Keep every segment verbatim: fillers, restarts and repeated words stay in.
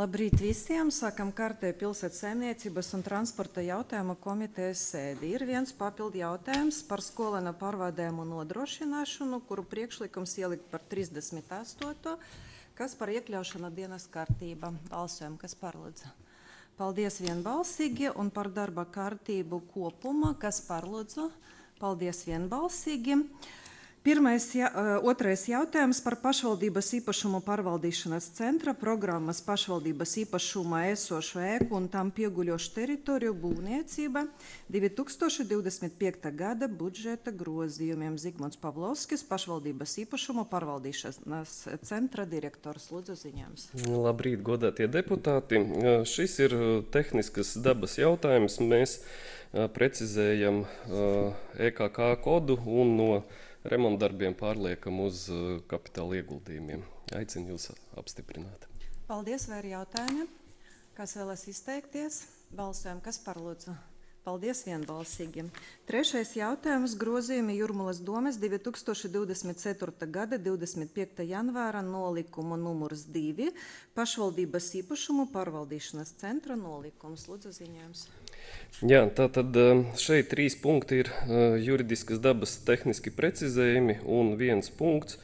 Labrīt visiem! Sākam kārtējo pilsētas saimniecības un transporta jautājumu komitejas sēdi. Ir viens papildu jautājums par skolēnu pārvadājumu nodrošināšanu, kuru priekšlikums ielikt par trīsdesmit astoto kas par iekļaušanu dienas kārtībā. Balsojam, kas par lūdzu. Paldies vienbalsīgi un par darba kārtību kopumā, kas par lūdzu. Paldies vienbalsīgi. Pirmais, ja, otrais jautājums par pašvaldības īpašumu pārvaldīšanas centra programmas pašvaldības īpašumā esošo ēku un tam pieguļošu teritoriju būvniecība divi tūkstoši divdesmit piekta gada budžeta grozījumiem. Zigmunds Pavlovskis, pašvaldības īpašumu pārvaldīšanas centra direktors. Lūdzu ziņojums. Labrīt, godātie deputāti. Šis ir tehniskas dabas jautājums. Mēs precizējam E K K kodu un no remontdarbiem pārliekam uz kapitāla ieguldījumiem. Aicinu jūs apstiprināt. Paldies, vai ir jautājumi? Kas vēlas izteikties? Balsojam, kas par lūdzu? Paldies vienbalsīgi. Trešais jautājums grozījumi Jūrmalas domes divi tūkstoši divdesmit ceturtā gada divdesmit piekta janvāra nolikumu numurs divi pašvaldības īpašumu pārvaldīšanas centra nolikums. Lūdzu ziņojums. Jā, tātad šeit trīs punkti ir juridiskas dabas tehniski precizējumi un viens punkts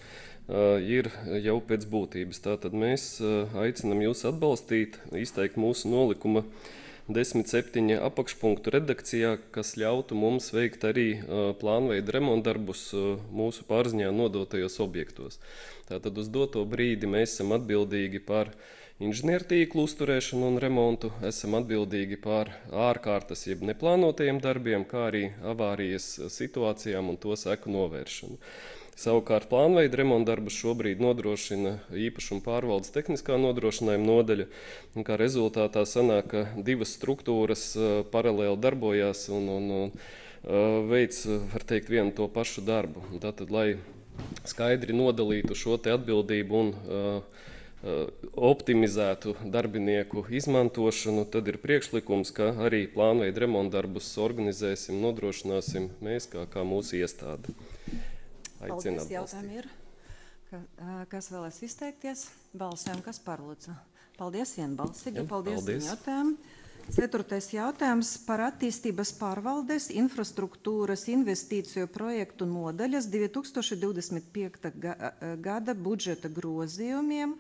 ir jau pēc būtības. Tātad mēs aicinam jūs atbalstīt, izteikt mūsu nolikuma desmit septiņi apakšpunktu redakcijā, kas ļautu mums veikt arī plānveida remontdarbus mūsu pārziņā nodotajos objektos. Tātad uz doto brīdi mēs esam atbildīgi par inženiertīklu uzturēšanu un remontu, esam atbildīgi par ārkārtas jeb neplānotajiem darbiem, kā arī avārijas situācijām un to seku novēršanu. Savukārt plānveida remontdarbus šobrīd nodrošina īpašuma pārvaldes tehniskā nodrošinājuma nodaļa, un kā rezultātā sanāk, ka divas struktūras paralēli darbojās un, un, un veic, var teikt, vienu to pašu darbu. Tātad, lai skaidri nodalītu šo te atbildību un optimizētu darbinieku izmantošanu, tad ir priekšlikums, ka arī plānveida remontdarbus organizēsim, nodrošināsim mēs kā, kā mūsu iestāde. Paldies, jautājumi ir. Ka, kas vēlas izteikties? Balsojam, kas par lūdzu. Paldies vienbalsīgi. Ja, paldies, paldies. Jautājumu. Ceturtais jautājums par attīstības pārvaldes infrastruktūras investīciju projektu nodaļas divi tūkstoši divdesmit piekta gada budžeta grozījumiem.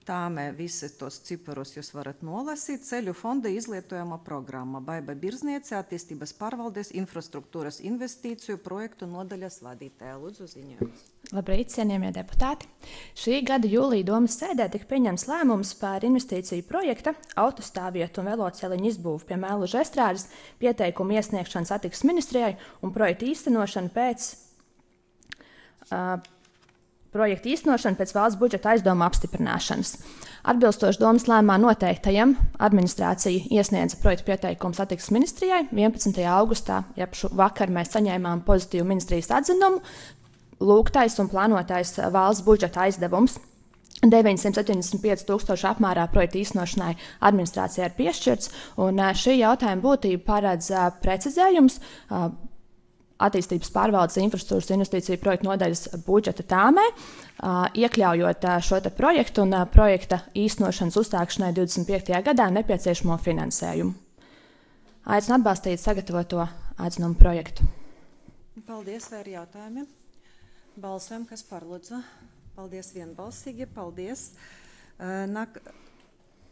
Tāmē visi tos ciparus jūs varat nolasīt. Ceļu fonda izlietojama programma Baiba Birzniece, attīstības pārvaldes infrastruktūras investīciju projektu nodaļas vadītāja. Lūdzu ziņojums. Labrīt, cienījamie deputāti. Šī gada jūlija domas sēdē tika pieņemts lēmums par investīciju projekta autostāvvietu un veloceliņu izbūvu pie Mēluža estrādes, pieteikumu iesniegšanu satiksmes ministrijai un projektu īstenošanu pēc uh, projekta īstenošana pēc valsts budžeta aizdevuma apstiprināšanas. Atbilstoši domas lēmumā noteiktajam administrācija iesniedza projekta pieteikumu satiksmes ministrijai. vienpadsmitajā augustā, jeb vakar mēs saņēmām pozitīvu ministrijas atzinumu. Lūgtais un plānotais valsts budžeta aizdevums deviņsimt septiņdesmit pieci tūkstoši apmērā projekta īstenošanai administrācijai ir piešķirts. Un šī jautājuma būtība paredz precizējums attīstības pārvaldes infrastruktūras investīciju projektu nodaļas budžeta tāmē, iekļaujot šo te projektu un projekta īstenošanas uzsākšanai divdesmit piektajā gadā nepieciešamo finansējumu. Aicinu atbalstīt sagatavoto atzinumu projektu. Paldies, vai ir jautājumi? Balsojam, kas par lūdzu. Paldies vienbalsīgi, paldies. Nak...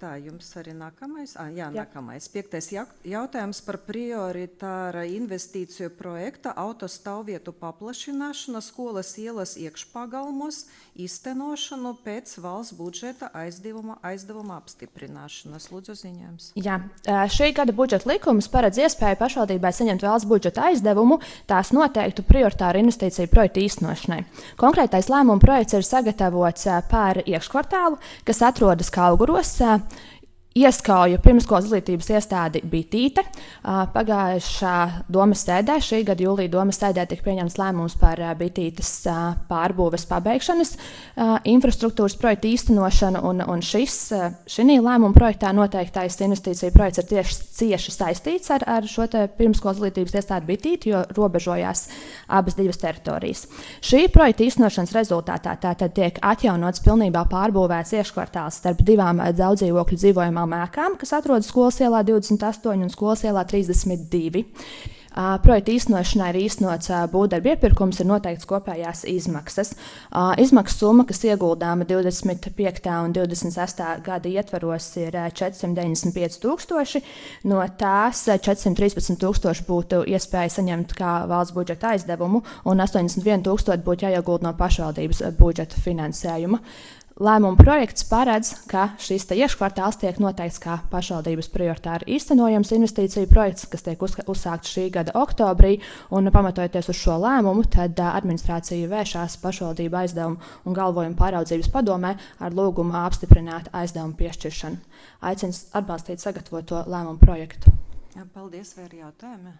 Tā, jums arī nākamais? Ah, jā, jā, nākamais. Piektais jautājums par prioritāra investīciju projekta autostāvvietu paplašināšanu skolas ielas iekšpagalmos īstenošanu pēc valsts budžeta aizdevuma, aizdevuma apstiprināšanas. Lūdzu ziņojums. Jā, šī gada budžeta likums paredz iespēju pašvaldībai saņemt valsts budžeta aizdevumu tās noteiktu prioritāru investīciju projektu īstenošanai. Konkrētais lēmuma projekts ir sagatavots par iekškvartālu, kas atrodas Kalguros, Ieskauju pirmskolas izglītības iestādi Bitīte. Pagājušā domas sēdē, šī gada jūlija domas sēdē tika pieņemts lēmums par Bitītes pārbūves pabeigšanas infrastruktūras projektu īstenošanu, un, un šis, šī lēmuma projektā noteiktais investīcija projekts ir tieši cieši saistīts ar, ar šo te pirmskolas izglītības iestādi Bitīti, jo robežojās abas divas teritorijas. Šī projekta īstenošanas rezultātā tātad tiek atjaunots pilnībā pārbūvēts iekškvartāls starp divām daudzdzīvokļu dzīvojumām ēkām, kas atrodas Skolas ielā divdesmit astoņi un Skolas ielā trīsdesmit divi. Uh, projekta īstenošanai ir īstenots uh, būvdarbu iepirkums, ir noteikts kopējās izmaksas. Uh, izmaksu summa, kas ieguldāma divdesmit piekta un divdesmit sestā gada ietvaros, ir uh, četrsimt deviņdesmit pieci tūkstoši. No tās uh, četrsimt trīspadsmit tūkstoši būtu iespēja saņemt kā valsts budžeta aizdevumu, un astoņdesmit viens tūkstoši būtu jāiegulda no pašvaldības budžeta finansējuma. Lēmuma projekts paredz, ka šis iekškvartāls tiek noteikts kā pašvaldības prioritāri īstenojams investīciju projekts, kas tiek uzsākts šī gada oktobrī, un pamatojoties uz šo lēmumu, tad administrācija vēršās pašvaldību aizdevumu un galvojumu pāraudzības padomē ar lūgumu apstiprināt aizdevumu piešķiršanu. Aicinu atbalstīt sagatavoto lēmumu projektu. Jā, paldies, vai ir jautājumi?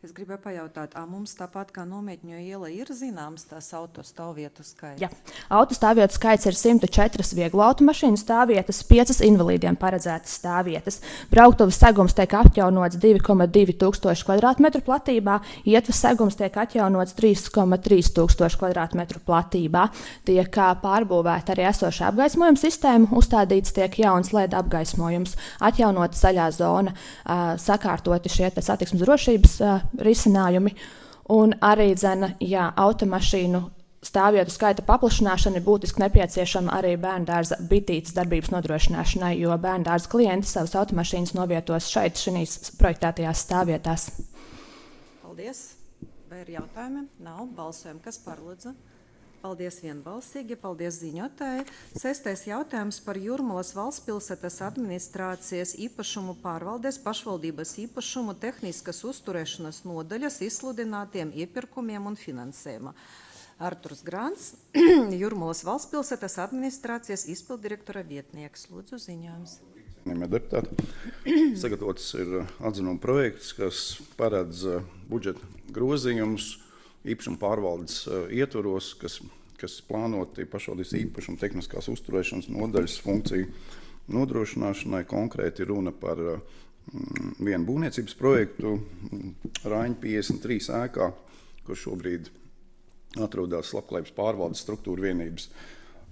Es gribēju pajautāt, ā, mums tāpat kā Nometņu iela ir zināms tās autostāvvietu skaits? Jā, autostāvvietu skaits ir simt četras vieglu automašīnu stāvvietas, piecas invalīdiem paredzētas stāvvietas. Brauktuves segums tiek atjaunots divi komats divi tūkstoši kvadrātmetru platībā, ietves segums tiek atjaunots trīs komats trīs tūkstoši kvadrātmetru platībā. Tiek pārbūvēta arī esoša apgaismojuma sistēma, uzstādīts tiek jauns L E D apgaismojums, atjaunota zaļā zona, sakārtoti šie satiksmes drošības risinājumi, un arī dzena, jā, automašīnu stāvvietu skaita paplašināšana ir būtiski nepieciešama arī bērndārza Bitītes darbības nodrošināšanai, jo bērndārza klienti savas automašīnas novietos šeit, šīs projektētajās stāvvietās. Paldies. Vai ir jautājumi? Nav. Balsojam. Kas par, lūdzu? Paldies vienbalsīgi, paldies ziņotāji. Sestais jautājums par Jūrmalas valstspilsētas administrācijas īpašumu pārvaldes pašvaldības īpašumu tehniskas uzturēšanas nodaļas izsludinātiem iepirkumiem un finansējuma. Arturs Grants, Jūrmalas valstspilsētas administrācijas izpildirektora vietnieks. Lūdzu, ziņojums. Deputāti. Sagatavots ir atzinuma projekts, kas paredz budžeta grozījumus īpašuma pārvaldes uh, ietvaros, kas, kas plānoti pašvaldības īpašuma tehniskās uzturēšanas nodaļas funkciju nodrošināšanai. Konkrēti runa par uh, vienu būvniecības projektu Raiņa piecdesmit trīs ēkā, kur šobrīd atrodas labklājības pārvaldes struktūra vienības.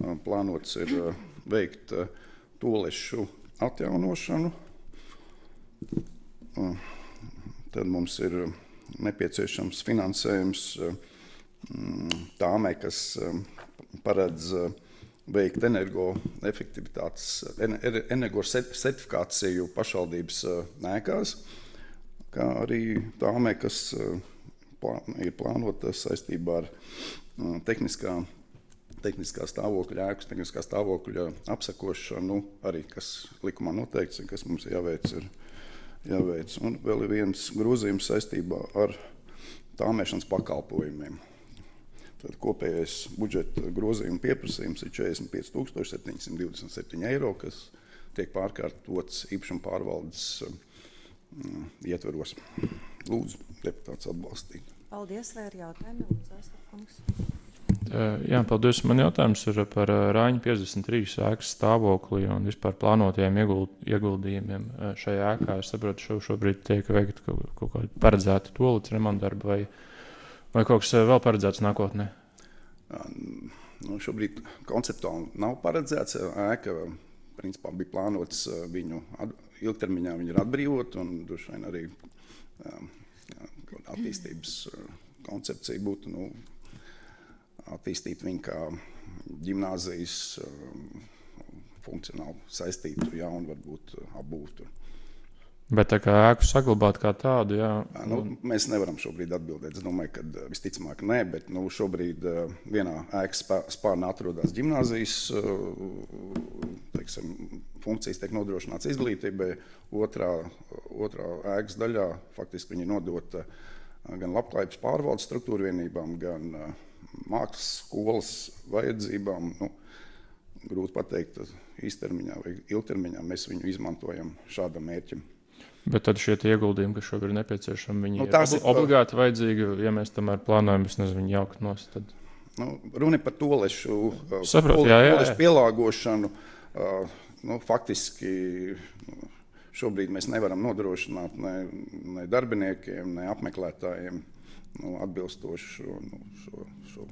Uh, plānots ir uh, veikt uh, toalešu atjaunošanu. Uh, tad mums ir uh, nepieciešams finansējums tāmei, kas paredz veikt energoefektivitātes, energosertifikāciju pašvaldības ēkās, kā arī tāmei, kas ir plānota saistībā ar tehniskā, tehniskā stāvokļa ēkas, tehniskā stāvokļa apsakošanu, arī kas likumā noteikts, kas mums jāveic ir jāveic. Un vēl ir viens grozījums saistībā ar tāmēšanas pakalpojumiem. Tad kopējais budžeta grozījuma pieprasījums ir četrdesmit pieci tūkstoši septiņsimt divdesmit septiņi eiro, kas tiek pārkārtots īpašuma pārvaldes uh, ietveros. Lūdzu, deputāts atbalstīt. Paldies, vai ir jautājumi? Lūdzu, Astarkungs. Jā, paldies. Man jautājums ir par Raiņa piecdesmit trīs ēkas stāvokli un vispār plānotajiem ieguld, ieguldījumiem šajā ēkā. Es saprotu, šo, šobrīd tiek veikta kaut, kaut kāda paredzēta toalets remontdarba vai, vai kaut kas vēl paredzēts nākotnē? Nu, šobrīd konceptuāli nav paredzēts. Ēka principā bija plānots viņu at, ilgtermiņā viņu ir atbrīvot un droši vien arī attīstības koncepcija būtu, nu, attīstīt viņu kā ģimnāzijas funkcionāli saistītu jaunu, varbūt apbūvtu. Bet tā kā ēku saglabāt kā tādu, jā? Nu, mēs nevaram šobrīd atbildēt. Es domāju, ka visticamāk nē, bet nu, šobrīd vienā ēkas spārnā atrodas ģimnāzijas, teiksim, funkcijas tiek nodrošināts izglītībai, otrā, otrā ēkas daļā faktiski viņi nodota gan labklājības pārvaldes struktūra vienībām, gan mākslas skolas vajadzībām. Nu, grūti pateikt īstermiņā vai ilgtermiņā mēs viņu izmantojam šādam mērķim. Bet tad šie ieguldījumi, kas šobrīd ir nepieciešami, viņi Nu, ir tās obli ir- obligāti vajadzīgi, ja mēs tomēr plānojam, es nezinu, viņu jaukt nost. Tad... Nu, runa ir par tolešu, uh, Saprotu, tole- jā, jā, jā. tolešu pielāgošanu. Uh, nu, faktiski nu, šobrīd mēs nevaram nodrošināt ne, ne darbiniekiem, ne apmeklētājiem nu, atbilstoši šo, nu, šo, šo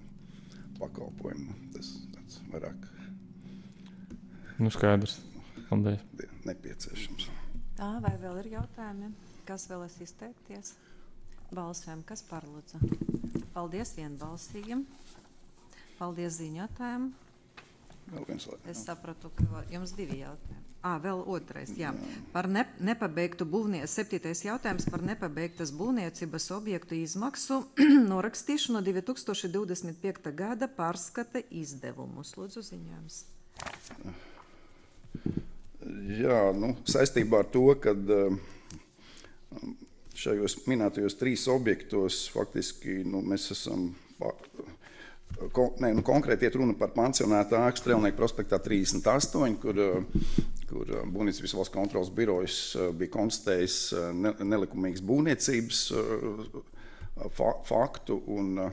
pakalpojumu. Tas tāds vairāk Nu, skaidrs. Paldies. nepieciešams. Tā, vai vēl ir jautājumi? Kas vēlas izteikties? Balsojam, kas par lūdzu? Paldies vienbalsīgiem. Paldies ziņotājiem. Vēl viens lai- Es sapratu, ka vēl- jums divi jautājumi. Ā, vēl otrais, jā. Par ne, nepabeigtu būvnie, septītais jautājums par nepabeigtas būvniecības objektu izmaksu norakstīšanu divi tūkstoši divdesmit piekta gada pārskata izdevumus. Lūdzu ziņojums. Jā, nu, saistībā ar to, ka šajos minētajos trīs objektos faktiski nu, mēs esam, pa- kon, ne, nu, konkrēti iet runa par pansionātu ēku Strēlnieku prospektā trīsdesmit astoņi, kur, kur Būvniecības valsts kontrolas birojas bija konstatējis ne, nelikumīgas būvniecības fa, faktu un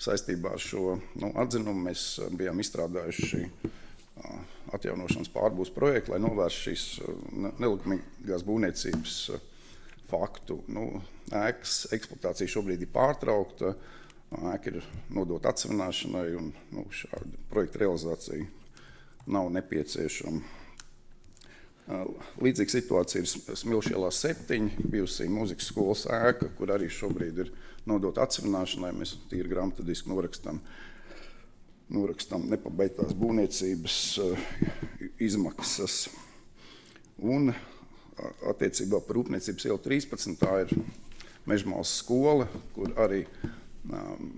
saistībā ar šo nu, atzinumu mēs bijām izstrādājuši atjaunošanas pārbūves projektu, lai novērstu šīs nelikumīgās būvniecības faktu. Nu, ēkas eksploatācija šobrīd ir pārtraukta, ēka ir nodota atsevināšanai un nu, šāda projekta realizācija nav nepieciešama. Līdzīga situācija ir Smilšu ielā septiņi, bijusī mūzikas skolas ēka, kur arī šobrīd ir nodota atsevināšanai. Mēs tīri grāmatadiski norakstam norakstam nepabeigtās būvniecības uh, izmaksas. Un uh, attiecībā par Rūpniecības ielu trīspadsmit tā ir Mežmāles skola, kur arī um,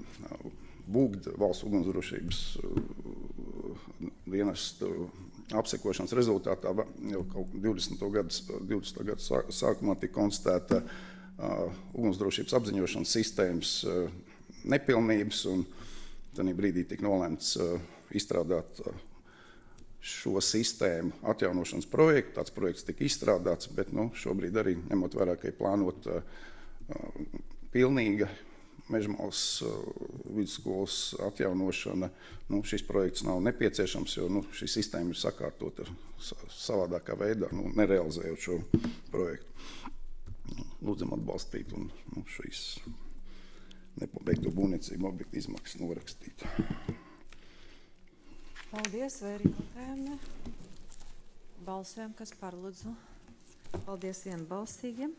Būgd valsts ugunsdrošības uh, dienestu apsekošanas rezultātā jau kaut divdesmito gadu sākumā tika konstatēta uh, ugunsdrošības apziņošanas sistēmas uh, nepilnības un Tanī brīdī tika nolēmts uh, izstrādāt uh, šo sistēmu atjaunošanas projektu. Tāds projekts tika izstrādāts, bet nu, šobrīd arī ņemot vērā, ka ir plānot uh, uh, pilnīga Mežmāles uh, vidusskolas atjaunošana. Nu, šis projekts nav nepieciešams, jo nu, šī sistēma ir sakārtota savādākā veidā, nu, nerealizējot šo projektu. Lūdzam atbalstīt un nu, šīs nepabeigto būvniecību objektu izmaksas norakstīt. Paldies, vai ir jautājumi? Balsojam, kas par lūdzu. Paldies vienbalsīgiem.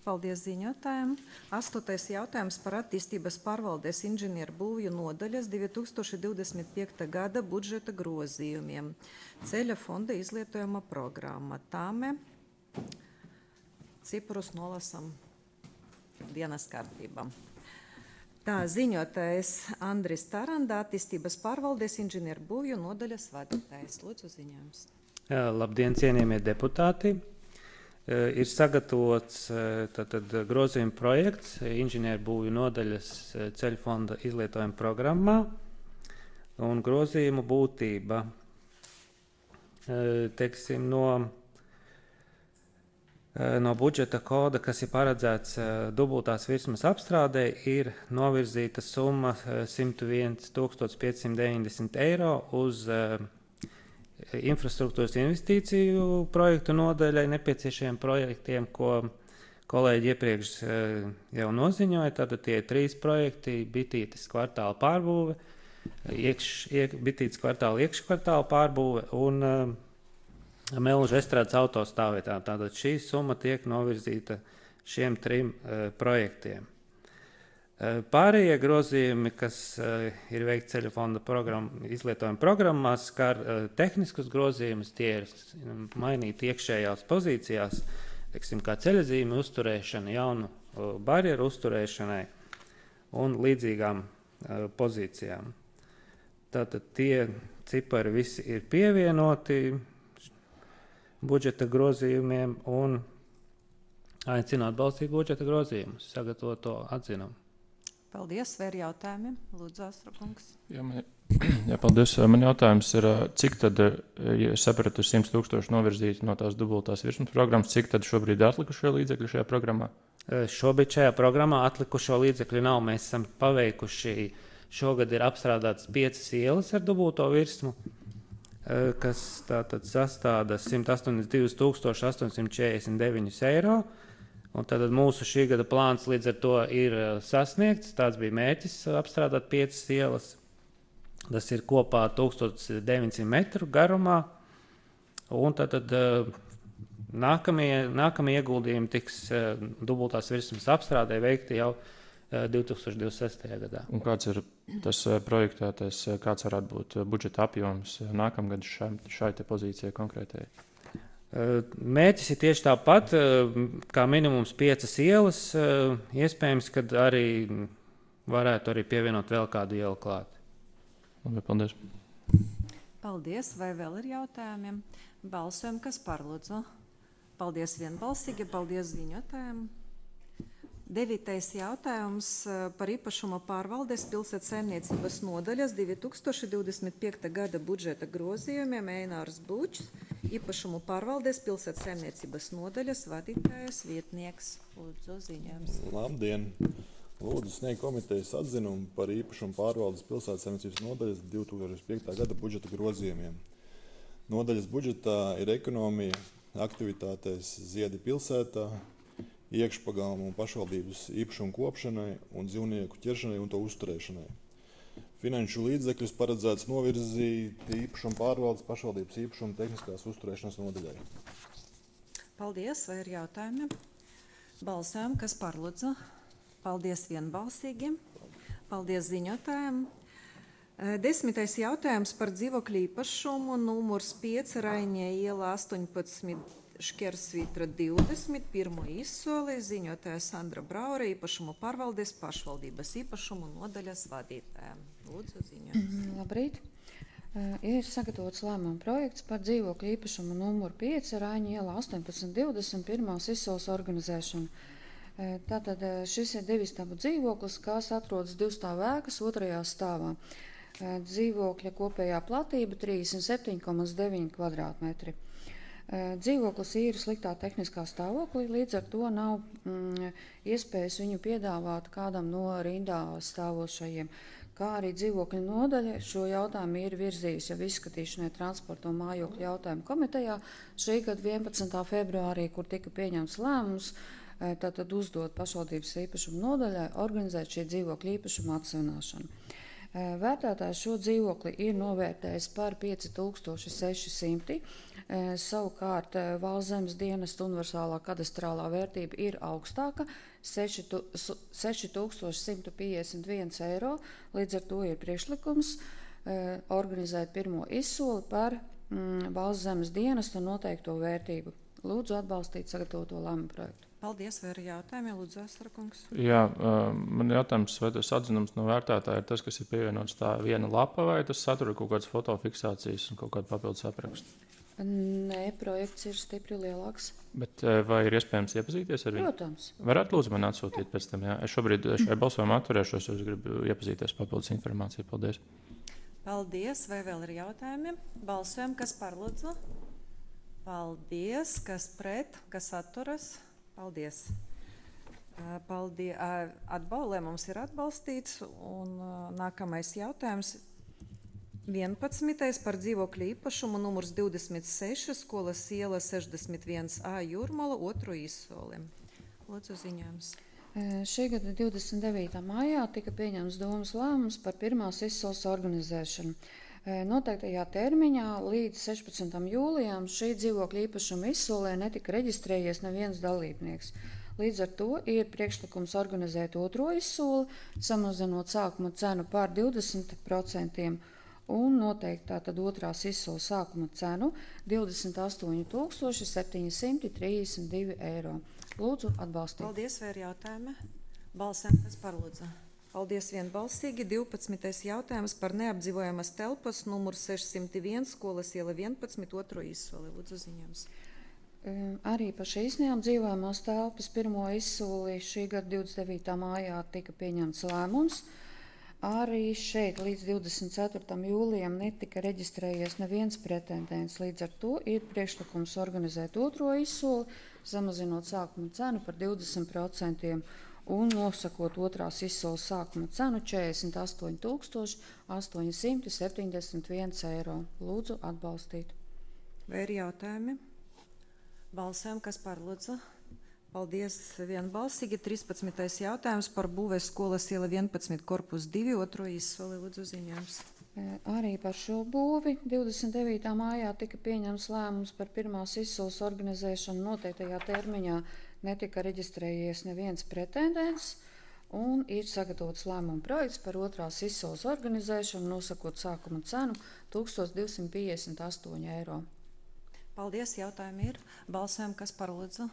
Paldies ziņotājiem. Astotais jautājums par attīstības pārvaldes inženieru būvju nodaļas divi tūkstoši divdesmit piekta gada budžeta grozījumiem. Ceļa fonda izlietojuma programma. Tāme ciprus nolasam dienas kārtībām. Tā ziņotājs Andris Taranda, attīstības pārvaldes inženieru būvju nodaļas vadītājs. Lūdzu ziņojums. Labdien, cienījamie deputāti! Ir sagatavots tātad grozījuma projekts inženieru būvju nodaļas ceļu fonda izlietojuma programmā un grozījumu būtība. Teiksim, no No budžeta koda, kas ir paredzēts dubultās virsmas apstrādē, ir novirzīta summa simt viens tūkstotis piecsimt deviņdesmit eiro uz infrastruktūras investīciju projektu nodaļai nepieciešamiem projektiem, ko kolēģi iepriekš jau noziņoja. Tātad tie trīs projekti - Bitītes kvartāla pārbūve, iekš, iek, Bitītes kvartāla iekškvartāla pārbūve un Melža estrādes autostāvvietām. Tātad šī summa tiek novirzīta šiem trim uh, projektiem. Uh, pārējie grozījumi, kas uh, ir veikti ceļu fonda program, izlietojuma programmās, skar uh, tehniskus grozījumus, tie ir mainīti iekšējās pozīcijās, teiksim, kā ceļazīme uzturēšana, jaunu uh, barjeru uzturēšanai un līdzīgām uh, pozīcijām. Tātad tie cipari visi ir pievienoti budžeta grozījumiem un aicinu atbalstīt budžeta grozījumus, sagatavot to atzinumu. Paldies, vai ir jautājumi? Lūdzu, Astra kungs. Ja man Jā, paldies. Man jautājums ir, cik tad, ja es sapratu, simts tūkstoši novirzīti no tās dubultās virsmas programmas, cik tad šobrīd ir atlikušie līdzekļi šajā programmā? Šobrīd šajā programmā atlikušo līdzekļu nav. Mēs esam paveikuši, šogad ir apstrādātas piecas ielas ar dubulto virsmu, kas tātad sastāda simt astoņdesmit divi tūkstoši astoņsimt četrdesmit deviņi eiro. Un tad mūsu šī gada plāns līdz ar to ir sasniegts. Tāds bija mērķis apstrādāt piecas ielas. Tas ir kopā tūkstoš deviņsimt metru garumā. Un tad, tad nākamie, nākamie ieguldījumi tiks dubultās virsmas apstrādē veikti jau divi tūkstoši divdesmit sestajā gadā. Un kāds ir tas projektētais, kāds varētu būt budžeta apjoms nākamgad šai, šai te pozīcijai konkrētai? Mērķis ir tieši tāpat, kā minimums piecas ielas. Iespējams, ka arī varētu arī pievienot vēl kādu ielu klāt. Labi, paldies. Paldies. Vai vēl ir jautājumiem? Balsojam, kas par, lūdzu. Paldies vienbalsīgi, paldies ziņotājiem. Devītais jautājums par īpašuma pārvaldes pilsētas saimniecības nodaļas divi tūkstoši divdesmit piekta gada budžeta grozījumiem Einārs Bučs, īpašumu pārvaldes pilsētas saimniecības nodaļas vadītājas vietnieks. Lūdzu, ziņojums. Labdien! Lūdzu sniegt komitejas atzinumu par īpašumu pārvaldes pilsētas saimniecības nodaļas divi tūkstoši piekta gada budžeta grozījumiem. Nodaļas budžetā ir ekonomija, aktivitātēs Ziedi pilsētā, iekšpagalmu un pašvaldības īpašumu kopšanai un dzīvnieku ķeršanai un to uzturēšanai. Finanšu līdzekļus paredzēts novirzīt īpašumu pārvaldes pašvaldības īpašumu tehniskās uzturēšanas nodaļai. Paldies, vai ir jautājumi? Balsojam, kas par, lūdzu. Paldies vienbalsīgi. Paldies ziņotājiem. Desmitais jautājums par dzīvokļu īpašumu numurs pieci Raiņie iela astoņpadsmit Škersvītra divdesmit, pirmo izsoli, ziņotāja Sandra Braure, īpašumu pārvaldes pašvaldības īpašumu nodaļas vadītājiem. Lūdzu, ziņojums. Mm, labrīt. Uh, ir sagatavots lēmuma projekts par dzīvokļu īpašumu numuru pieci Raiņu iela astoņpadsmit divdesmit, pirmās izsoles organizēšanu. Uh, tātad uh, šis ir divistabu dzīvoklis, kas atrodas divstāvu ēkas otrajā stāvā. Uh, dzīvokļa kopējā platība trīsdesmit septiņi komats deviņi kvadrātmetri. Dzīvoklis ir sliktā tehniskā stāvoklī, līdz ar to nav mm, iespējas viņu piedāvāt kādam no rindā stāvošajiem. Kā arī dzīvokļu nodaļa šo jautājumu ir virzījusi jau izskatīšanai transporta un mājokļu jautājumu komitejā šī gada vienpadsmitā februārī, kur tika pieņemts lēmums, tātad uzdot pašvaldības īpašumu nodaļai organizēt šī dzīvokļu īpašumu atsevināšanu. Vērtētājs šo dzīvokli ir novērtējis par pieci tūkstoši seši simti. Savukārt Valsts zemes dienesta universālā kadastrālā vērtība ir augstāka - seši tūkstoši simt piecdesmit viens eiro. Līdz ar to ir priekšlikums organizēt pirmo izsoli par mm, Valsts zemes dienesta noteikto vērtību. Lūdzu atbalstīt sagatavoto lēmumu projektu. Paldies, vai ir jautājumi? Lūdzu, Asarakungs. Jā, man jautājums, vai tas atzinums no vērtētāja ir tas, kas ir pievienots tā viena lapa, vai tas satura kaut kādas fotofiksācijas un kaut kādu papildus aprakstu? Nē, projekts ir stipri lielāks. Bet vai ir iespējams iepazīties ar viņu? Protams. Varētu lūdzu man atsūtīt pēc tam, jā. Es šobrīd šai balsojumā atturēšos, jo es gribu iepazīties papildus informāciju. Paldies. Paldies, vai vēl ir jautājumi? Balsojam, kas par, lūdzu? Paldies, kas pret, kas atturas? Paldies. Paldies. Atbalē mums ir atbalstīts, un nākamais jautājums vienpadsmitais par dzīvokļu īpašumu numurs divdesmit seši, skolas iela sešdesmit viens A Jūrmala, otro izsoli. Lūdzu, ziņojums. Šī gada divdesmit devītā maijā tika pieņemts domas lēmums par pirmās izsoles organizēšanu. Noteiktajā termiņā līdz sešpadsmitam jūlijam šī dzīvokļa īpašuma izsolē netika reģistrējies neviens dalībnieks. Līdz ar to ir priekšlikums organizēt otro izsoli, samazinot sākuma cenu par divdesmit procentiem un noteikt tātad otrās izsoles sākuma cenu divdesmit astoņi tūkstoši septiņi simti trīsdesmit divi eiro. Lūdzu atbalstīt. Paldies, vai ir jautājumi? Balsēm, kas par, lūdzu? Paldies vienbalsīgi. divpadsmitais jautājums par neapdzīvojamas telpas numurs sešsimt viens, skolas iela vienpadsmit, otro izsoli. Lūdzu, ziņojums. Arī par šīs neapdzīvojamās telpas pirmo izsoli šī gada divdesmit devītā mājā tika pieņemts lēmums. Arī šeit līdz divdesmit ceturtajam jūlijam netika reģistrējies neviens pretendents. Līdz ar to ir priekšlikums organizēt otro izsoli, samazinot sākuma cenu par divdesmit procentiem un nosakot otrās izsoles sākuma cenu četrdesmit astoņi tūkstoši astoņi simti septiņdesmit viens eiro. Lūdzu atbalstīt. Vai ir jautājumi? Balsojam, kas par lūdzu? Paldies vienbalsīgi. trīspadsmitais jautājums par būvēs skolas iela vienpadsmit korpus divi, otro izsoli. Lūdzu ziņojums. E, Arī par šo būvi divdesmit devītā mājā tika pieņemts lēmums par pirmās izsoles organizēšanu noteiktajā termiņā. Netika reģistrējies neviens pretendents un ir sagatavots lēmuma projekts par otrās izsoles organizēšanu, nosakot sākuma cenu tūkstoš divsimt piecdesmit astoņi eiro. Paldies, jautājumi ir. Balsojam, kas par lūdzu?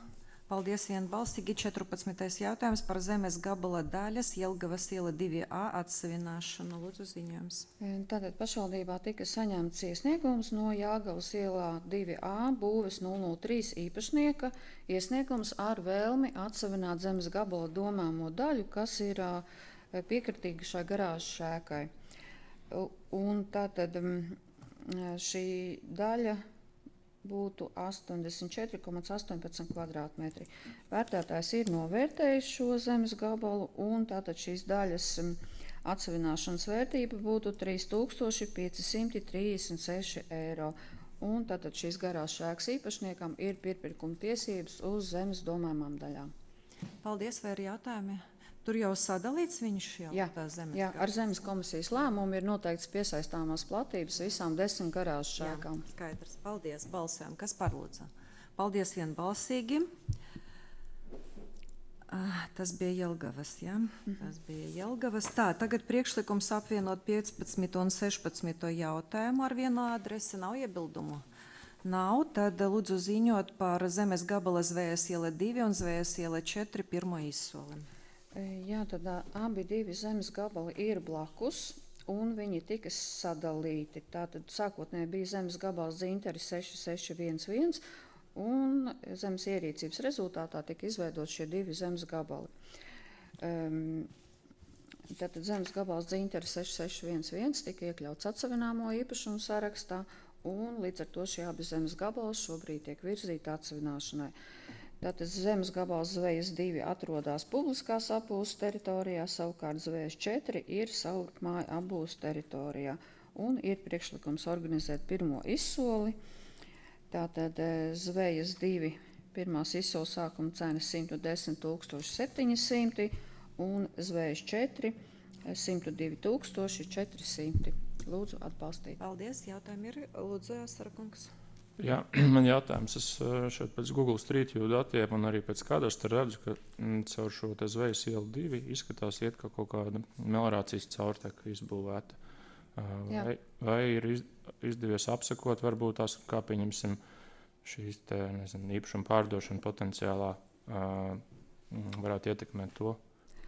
Paldies vienbalsīgi. četrpadsmitais jautājums par zemes gabala daļas Jelgavas iela divi A atsavināšanu. Lūdzu ziņojums. E, Tātad pašvaldībā tika saņemts iesniegums no Jelgavas ielā divi A būves nulle nulle trīs īpašnieka. Iesniegums ar vēlmi atsavināt zemes gabala domāmo daļu, kas ir ā, piekritīga šai garāžas šēkai. U- Un tātad mm, šī daļa būtu astoņdesmit četri komats astoņpadsmit kvadrātmetri. Vērtētājs ir novērtējis šo zemes gabalu, un tātad šīs daļas mm, atsavināšanas vērtība būtu trīs tūkstoši pieci simti trīsdesmit seši eiro. Un tātad šīs garās šēkas īpašniekam ir pirpirkuma tiesības uz zemes domājumām daļām. Paldies, vai ir jautājumi? Tur jau sadalīts viņš jau Jā, tā zemes. jā, ar zemes komisijas lēmumu ir noteikts piesaistāmās platības visām desmit garās šēkām. Jā, skaidrs. Paldies. Balsojam. Kas par lūdzu? Paldies vienbalsīgi. Ah, Tas bija Jelgavas, jā? Tas bija Jelgavas. Tā, tagad priekšlikums apvienot piecpadsmito un sešpadsmito jautājumu ar vienu adresi. Nav iebildumu? Nav. Tad lūdzu ziņot par zemes gabala Zvējas iela divi un Zvējas iela četri pirmo izsoli. E, Jā, tad ā, abi divi zemes gabali ir blakus, un viņi tika sadalīti. Tātad sākotnēji bija zemes gabals Dzinteri seši seši viens viens, un zemes ierīcības rezultātā tika izveidot šie divi zemes gabali. Um, Tātad zemes gabals Dzinteri seši seši viens viens tika iekļauts atsavināmo īpašumu sarakstā, un līdz ar to šie abi zemes gabali šobrīd tiek virzīti atsavināšanai. Tātad zemes gabals Zvejas divi atrodas publiskās apbūves teritorijā, savukārt Zvejas četri ir savrupmāju apbūves teritorijā. Un ir priekšlikums organizēt pirmo izsoli. Tātad eh, Zvejas divi pirmās izsoles sākuma cena simt desmit tūkstoši septiņi simti un Zvejas četri simt divi tūkstoši četri simti. Lūdzu atbalstīt. Paldies. Jautājumi ir. Lūdzu, Sarakungs. Jā, man jautājums, es ā, šeit pēc Google Street View datiem un arī pēc kadastra redzu, ka mm, caur šo te Zvejas ielu divi izskatās iet kā kaut kāda melorācijas caurteka izbūvēta. Ā, Jā. Vai, vai ir iz, izdevies apsakot, varbūt tās, kā pieņemsim šīs te, nezinu, īpašuma pārdošana potenciālā ā, mm, varētu ietekmēt to?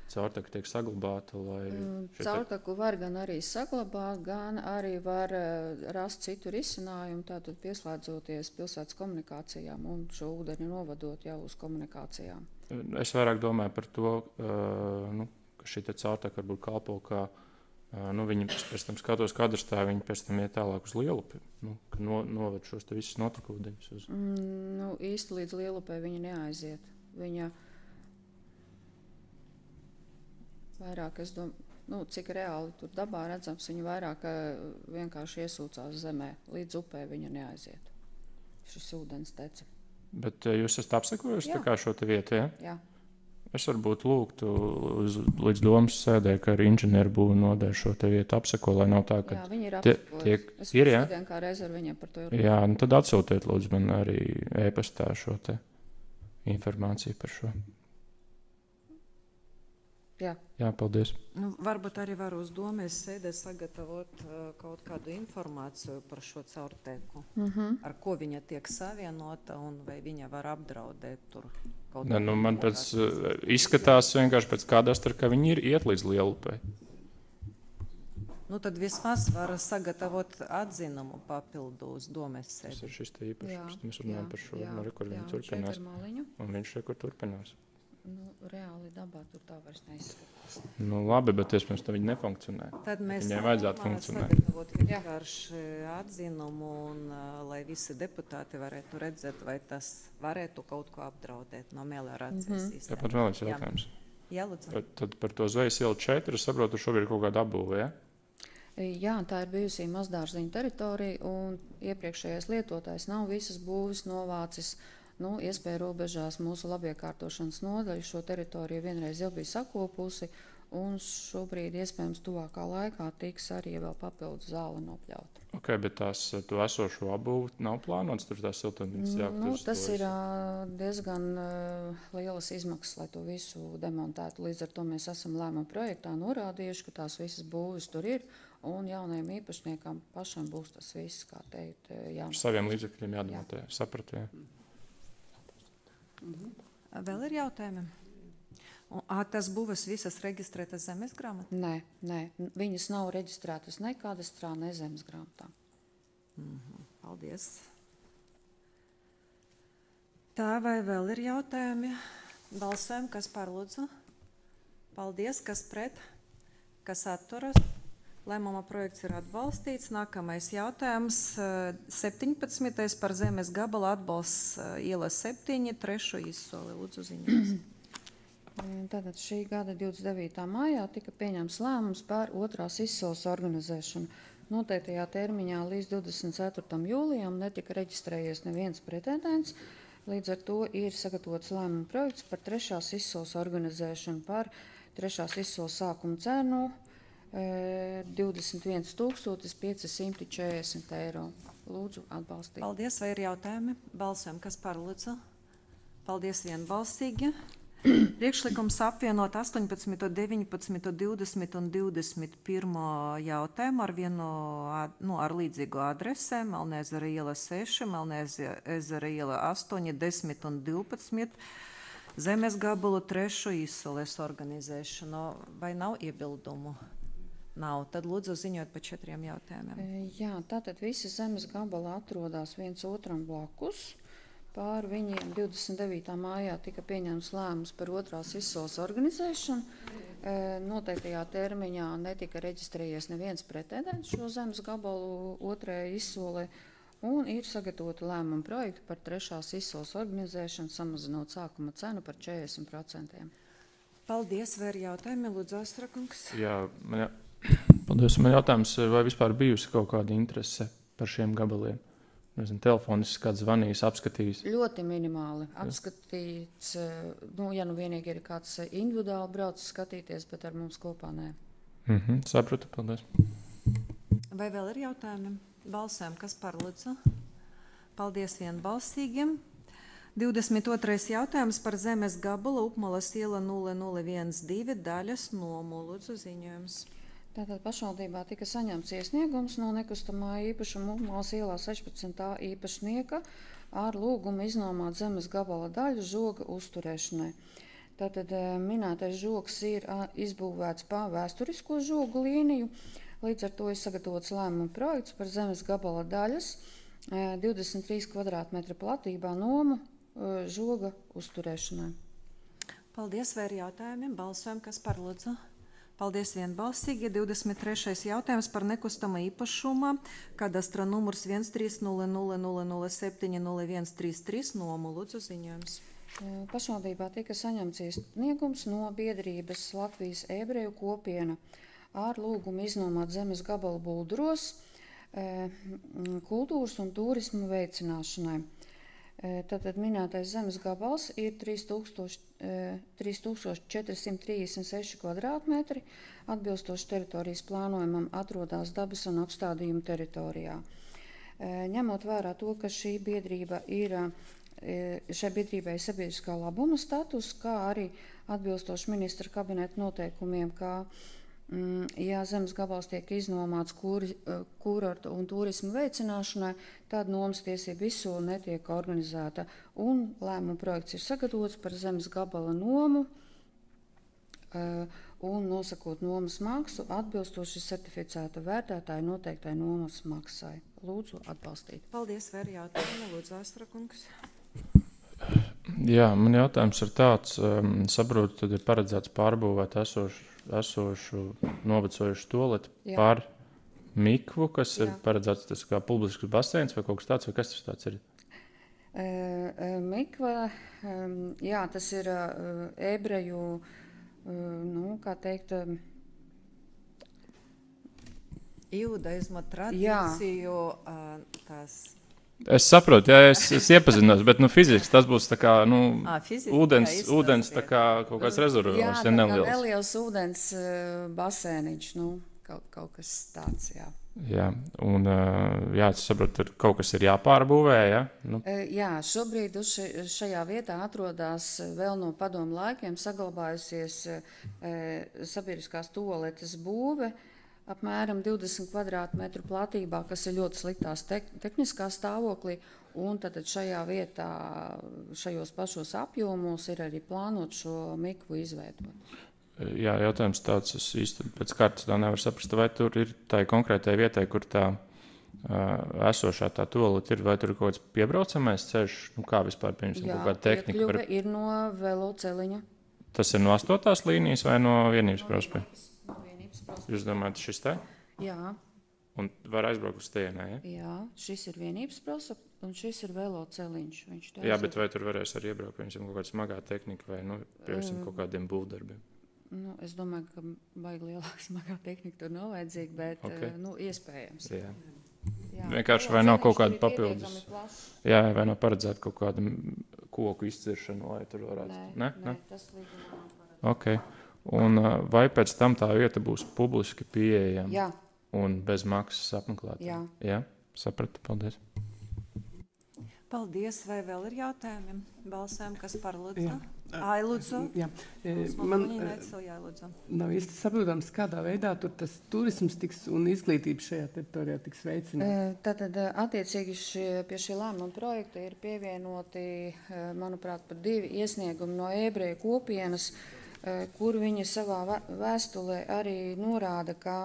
Caurteka tiek saglabāta, lai šie te- Caurteku var gan arī saglabāt, gan arī var eh, rast citu risinājumu, tātad pieslēdzoties pilsētas komunikācijām un šo ūdeni novadot jau uz komunikācijām. Es vairāk domāju par to, uh, nu, ka šī te caurteka varbūt kalpo kā, uh, nu, viņi pēc tam skatos kadastā, viņi pēc tam iet tālāk uz Lielupi, nu, ka no, noved šos te visus notekūdeņus uz. Mm, nu, īsti līdz Lielupē viņa neaiziet. Viņa vairāk, es domāju, nu, cik reāli tur dabā redzams, viņa vairāk eh, vienkārši iesūcās zemē. Līdz upē viņa neaiziet. Šis ūdens tece. Bet uh, jūs esat apsekojuši Jā. tā kā šo te vietu, ja? Jā. Es varbūt lūgtu uz, līdz domas sēdē, ka arī inženieru būvu nodeļa šo te vietu apseko, lai nav tā, ka... Jā, viņi ir tie- apsekojuši. tiek- Es ir, jā? šodien kā reiz ar viņiem par to ir. Jā, nu tad atsūtiet lūdzu man arī e-pastā šo te informāciju par šo. Jā. Jā, paldies. Nu, varbūt arī var uz domas sēdē sagatavot uh, kaut kādu informāciju par šo caurteku. Mhm. Ar ko viņa tiek savienota un vai viņa var apdraudēt tur kaut Ne, nu, man kādu pēc, uh, izskatās vienkārši pēc kadastra, ka viņi ir iet līdz Lielupei. Nu, tad vismaz var sagatavot atzinumu papildu uz domas Tas sēdi. ir šis te īpašums. Mēs Jā, runājam jā, par šo, jā, nu, re, kur jā, viņi šeit turpinās. ar maliņu. Un viņš re, kur turpinās. Nu, reāli dabā tur tā vairs neizskatās. Nu, labi, bet iespējams, ka viņi nefunkcionē. Tad mēs Viņai vajadzētu sākumā funkcionēt. sagatavot vienkārši atzinumu, un, uh, lai visi deputāti varētu redzēt, vai tas varētu kaut ko apdraudēt no meliorācijas Mhm. sistēmas. Jā, pat vēl viens jautājums. Jā, lūdzu. Par, tad par to zvejas ielu četri, es saprotu, šobrīd ir kaut kāda apbūve, ja? Jā, tā ir bijusī mazdārziņa teritorija, un iepriekšējais lietotājs nav visas būvis novācis. Nu, iespēja robežās mūsu labiekārtošanas nodaļa šo teritoriju vienreiz jau bija sakopusi, un šobrīd iespējams tuvākā laikā tiks arī vēl papildu zāle nopļauta. Ok, bet tās to esošo apbūvi nav plānots, tur tās siltumnīcas jāaptur Nu, uz tas to ir visu. ā, diezgan uh, lielas izmaksas, lai to visu demontētu. Līdz ar to mēs esam lēmuma projektā norādījuši, ka tās visas būvis tur ir, un jaunajiem īpašniekam pašam būs tas viss, kā teikt, jā. Ar saviem līdzekļiem jādemontē, sapratu, jā. Vēl ir jautājumi? Un, ā, tas būs visas reģistrētas zemes grāmatā? Nē, nē, viņas nav reģistrētas ne kadastrā, ne zemes grāmatā. Mhm, paldies. Tā vai vēl ir jautājumi? Balsojam, kas par lūdzu? Paldies, kas pret? Kas atturas? Lēmuma projekts ir atbalstīts. Nākamais jautājums. eh, septiņpadsmitais par zemes gabala atbalsts eh, iela septiņi, trešo izsoli. Lūdzu, ziņas. Tātad šī gada divdesmit devītā maijā tika pieņemts lēmums par otrās izsoles organizēšanu. Noteiktajā termiņā līdz divdesmit ceturtajam jūlijam netika reģistrējies neviens pretendents. Līdz ar to ir sagatavots lēmuma projekts par trešās izsoles organizēšanu par trešās izsoles sākuma cenu e, divdesmit viens tūkstotis pieci simti četrdesmit eiro. Lūdzu, atbalstīt. Paldies, vai ir jautājumi? Balsojam, kas par lūdzu? Paldies vienbalsīgi. Priekšlikums apvienot astoņpadsmito, deviņpadsmito, divdesmito un divdesmit pirmo jautājumu ar vienu, ad- nu, ar līdzīgu adresi. Melnezera iela seši, Melnezera iela astoņi, desmit un divpadsmit. Zemes gabalu trešo izsoles organizēšanu. Vai nav iebildumu? Nav. Tad lūdzu ziņot par četriem jautājumiem. E, Jā, tātad visi zemes gabali atrodas viens otram blakus. Pār viņiem divdesmit devītā maijā tika pieņemts lēmums par otrās izsoles organizēšanu. E, Noteiktajā termiņā netika reģistrējies neviens pretendents šo zemes gabalu otrajai izsolē, un ir sagatavota lēmuma projekta par trešās izsoles organizēšanu, samazinot sākuma cenu par četrdesmit procentiem. Paldies, vai ir jautājumi? Lūdzu, Astrakungs. Jā, man, jā. Paldies, man jautājums, vai vispār bijusi kaut kāda interese par šiem gabaliem? Nezinu, telefoniski kāds zvanījis, apskatījis. Ļoti minimāli apskatīts, e, nu, ja nu vienīgi ir kāds individuāli braucis skatīties, bet ar mums kopā nē. Mhm, sapratu, paldies. Vai vēl ir jautājumi? Balsojam, kas par lūdzu? Paldies vienbalsīgi. divdesmit otrais jautājums par zemes gabalu Upmalas iela nulle nulle viens divi daļas nomu. Lūdzu, ziņojums. Tātad pašvaldībā tika saņemts iesniegums no nekustamā īpašuma Upmalas ielā sešpadsmit īpašnieka ar lūgumu iznomāt zemes gabala daļu žoga uzturēšanai. Tātad eh, minētais žogs ir ā, izbūvēts pa vēsturisko žogu līniju, līdz ar to ir sagatavots lēmuma projekts par zemes gabala daļas eh, divdesmit trīs kvadrātmetra platībā nomu eh, žoga uzturēšanai. Paldies, vai ir jautājumi? Balsojam, kas par lūdzu? Paldies vienbalsīgi. divdesmit trešais jautājums par nekustama īpašuma. Kadastra numurs viens trīs nulle nulle nulle nulle septiņi nulle viens trīs trīs nomu. Lūdzu, ziņojums. E, Pašvaldībā tika saņemts iesniegums no biedrības Latvijas ebreju kopiena ar lūgumu iznomāt zemes gabalu Bulduros e, m, kultūras un turismu veicināšanai. E, Tātad minētais zemes gabals ir trīs tūkstoši četri simti trīsdesmit seši kvadrātmetri, atbilstoši teritorijas plānojumam atrodas dabas un apstādījumu teritorijā. E, Ņemot vērā to, ka šī biedrība ir, e, šai biedrībai ir sabiedriskā labuma status, kā arī atbilstoši ministra kabineta noteikumiem, kā Mm, ja zemes gabals tiek iznomāts kuri, kurortu un turismu veicināšanai, tad nomas tiesība izsole netiek organizēta. Un lēmuma projekts ir sagatavots par zemes gabala nomu uh, un nosakot nomas maksu atbilstoši certificēta vērtētāja noteiktai nomas maksai. Lūdzu, atbalstīt. Paldies, vai ir jautājumi? Lūdzu, Astrakungs. Jā, man jautājums ir tāds, um, saprotu, tad ir paredzēts pārbūvēt esošu, esošu novecojušu toleti Jā. par mikvu, kas ir Jā. paredzēts tas kā publisks baseins vai kaut kas tāds, vai kas tas tāds ir? E, e, Mikva, um, jā, tas ir uh, ebreju, uh, nu, kā teikt, um, Jūdaisma tradīciju, ā, tās Es saprotu, jā, es, es iepazinos, bet nu, fiziski tas būs tā kā nu, Ā, fiziski, ūdens, jā, ūdens izstāstiet. tā kā kaut kāds jā, rezervors, tā ja kā neliels. neliels ūdens uh, basēniņš, nu, kaut, kaut kas tāds, jā. Jā, un uh, jā, es saprotu, tur kaut kas ir jāpārbūvē, ja? Nu, E, Jā, šobrīd uz še- šajā vietā atrodas vēl no padomu laikiem saglabājusies e, sabiedriskās toaletes būve, apmēram divdesmit kvadrātmetru platībā, kas ir ļoti sliktās tek tehniskā stāvoklī, un tad šajā vietā, šajos pašos apjomos ir arī plānot šo mikvu izveidot. jā, jautājums tāds, es īsti pēc kārtas tā nevaru saprast, vai tur ir tā konkrētai vietai, kur tā uh, esošā tā tolete ir, vai tur ir kaut kāds piebraucamais ceļš, nu kā vispār, piemēram, kaut kāda tehnika. piekļuve Var... ir no veloceliņa. Tas ir no astotās līnijas vai no vienības prospekta? No vienības prospekta. Jūs domājat, šis te? Jā, Un var aizbraukt uz tienē, ja? jā, šis ir vienības prospekts, un šis ir veloceliņš. Viņš te Jā, aiziet- bet vai tur varēs arī iebraukt, piemēram, kaut kāda smagā tehnika vai, nu, piemēram, kaut kādiem būvdarbiem? Nu, es domāju, ka baigi lielāka smagā tehnika tur nav vajadzīga, bet Ok. okay. nu, iespējams. Jā. Jā. Vienkārši vai nav kaut kāda Ceļš ir papildus? pietiekami plašs. Jā, vai nav paredzēta kaut kāda m, koku izciršana, lai tur varētu? Nē, ne? nē, ne? tas līgumā nav paredzēts. Ok. Un uh, vai pēc tam tā vieta būs publiski pieejama Jā, un bez maksas apmeklētājiem? Jā. Jā, sapratu, paldies. Paldies, vai vēl ir jautājumi? Balsēm, kas par lūdzu? Jā. Ai, lūdzu. Jā, e, Man man viņa e, necēlīja, lūdzu. nav īsti saprotams, kādā veidā tur tas turisms tiks un izglītība šajā teritorijā tiks veicināta. E, Tātad, e, attiecīgi šie, pie šī lēmuma projekta ir pievienoti, e, manuprāt, pat divi iesniegumi no ebreju kopienas, e, kur viņi savā vē- vēstulē arī norāda, ka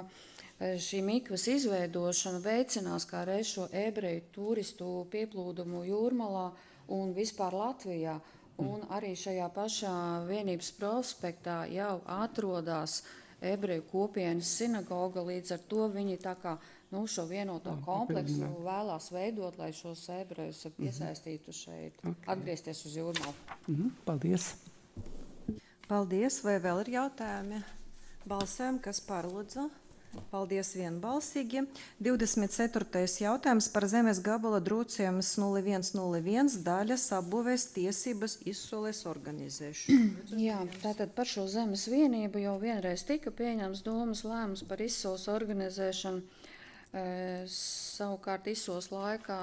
e, šī mikvas izveidošana veicinās kā reiz šo ebreju turistu pieplūdumu Jūrmalā un vispār Latvijā. Un arī šajā pašā vienības prospektā jau atrodas ebreju kopienas sinagoga, līdz ar to viņi tā kā nu, šo vienoto kompleksu vēlās veidot, lai šos ebrejus iesaistītu šeit, atgriezties uz Jūrmalu. Mhm, paldies. Paldies, vai vēl ir jautājumi? Balsēm, kas par lūdzu? Paldies vienbalsīgi. divdesmit ceturtais jautājums par zemes gabala drūciemas nulle viens nulle viens daļas apbūvēs tiesības izsoles organizēšanu. Jā, tātad par šo zemes vienību jau vienreiz tika pieņemts domas lēmums par izsoles organizēšanu. E, savukārt izsoles laikā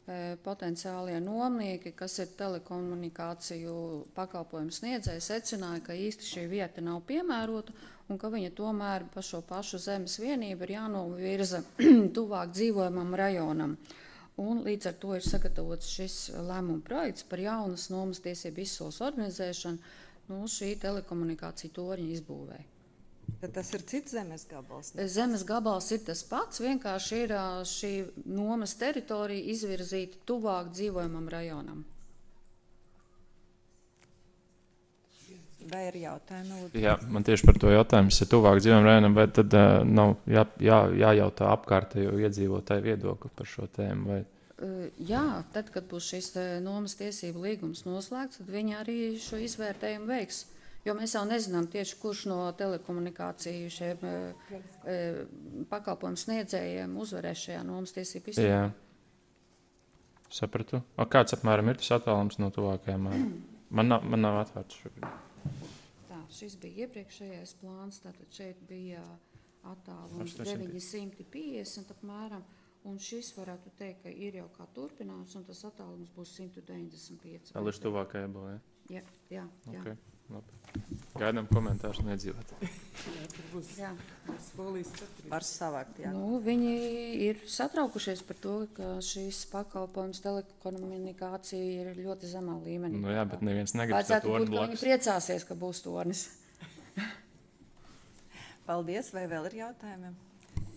e, potenciālie nomnieki, kas ir telekomunikāciju pakalpojumu sniedzēji, secināja, ka īsti šī vieta nav piemērota un ka viņa tomēr pa šo pašu zemes vienību ir jānovirza tuvāk dzīvojamam rajonam. Un līdz ar to ir sagatavots šis lēmuma projekts par jaunas nomas tiesību izsoles organizēšanu no šī telekomunikāciju torņa izbūvē. Tad tas ir cits zemes gabals. Zemes gabals ir tas pats, vienkārši ir ā, šī nomas teritorija izvirzīta tuvāk dzīvojamam rajonam. Vai ir jautājumi? Lūdzu? Jā, man tieši par to jautājums ir tuvāk dzīvojam rajonam, vai tad uh, nav jā, jā, jājautā apkārtējo iedzīvotāju viedokli par šo tēmu? Vai... Uh, Jā, tad, kad būs šis te nomas tiesību līgums noslēgts, tad viņi arī šo izvērtējumu veiks. Jo mēs jau nezinām tieši, kurš no telekomunikāciju šiem e, e, pakalpojumu sniedzējiem uzvarēs šajā nomas tiesību izvērtējumā. Jā, sapratu. O, kāds apmēram ir tas attālums no tuvākajām? Man nav, man nav atvērts šobrīd. Tā, šis bija iepriekšējais plāns, tātad šeit bija attālums astoņsimt. deviņi simti piecdesmit apmēram, un šis varētu teikt, ka ir jau kā turpinājums, un tas attālums būs simt deviņdesmit pieci. Tā līdz tuvākajai būs, ja? Jā, jā, jā. Okay, labi. Gaidām komentārus un iedzīvot. jā. Skolīs četri. Var savākt, jā. Nu, viņi ir satraukušies par to, ka šīs pakalpojums telekomunikācija ir ļoti zemā līmenī. Nu jā, bet neviens negrib Vajadzētu to būt, torņu ka viņi blakus. priecāsies, ka būs tornis. Paldies, vai vēl ir jautājumi?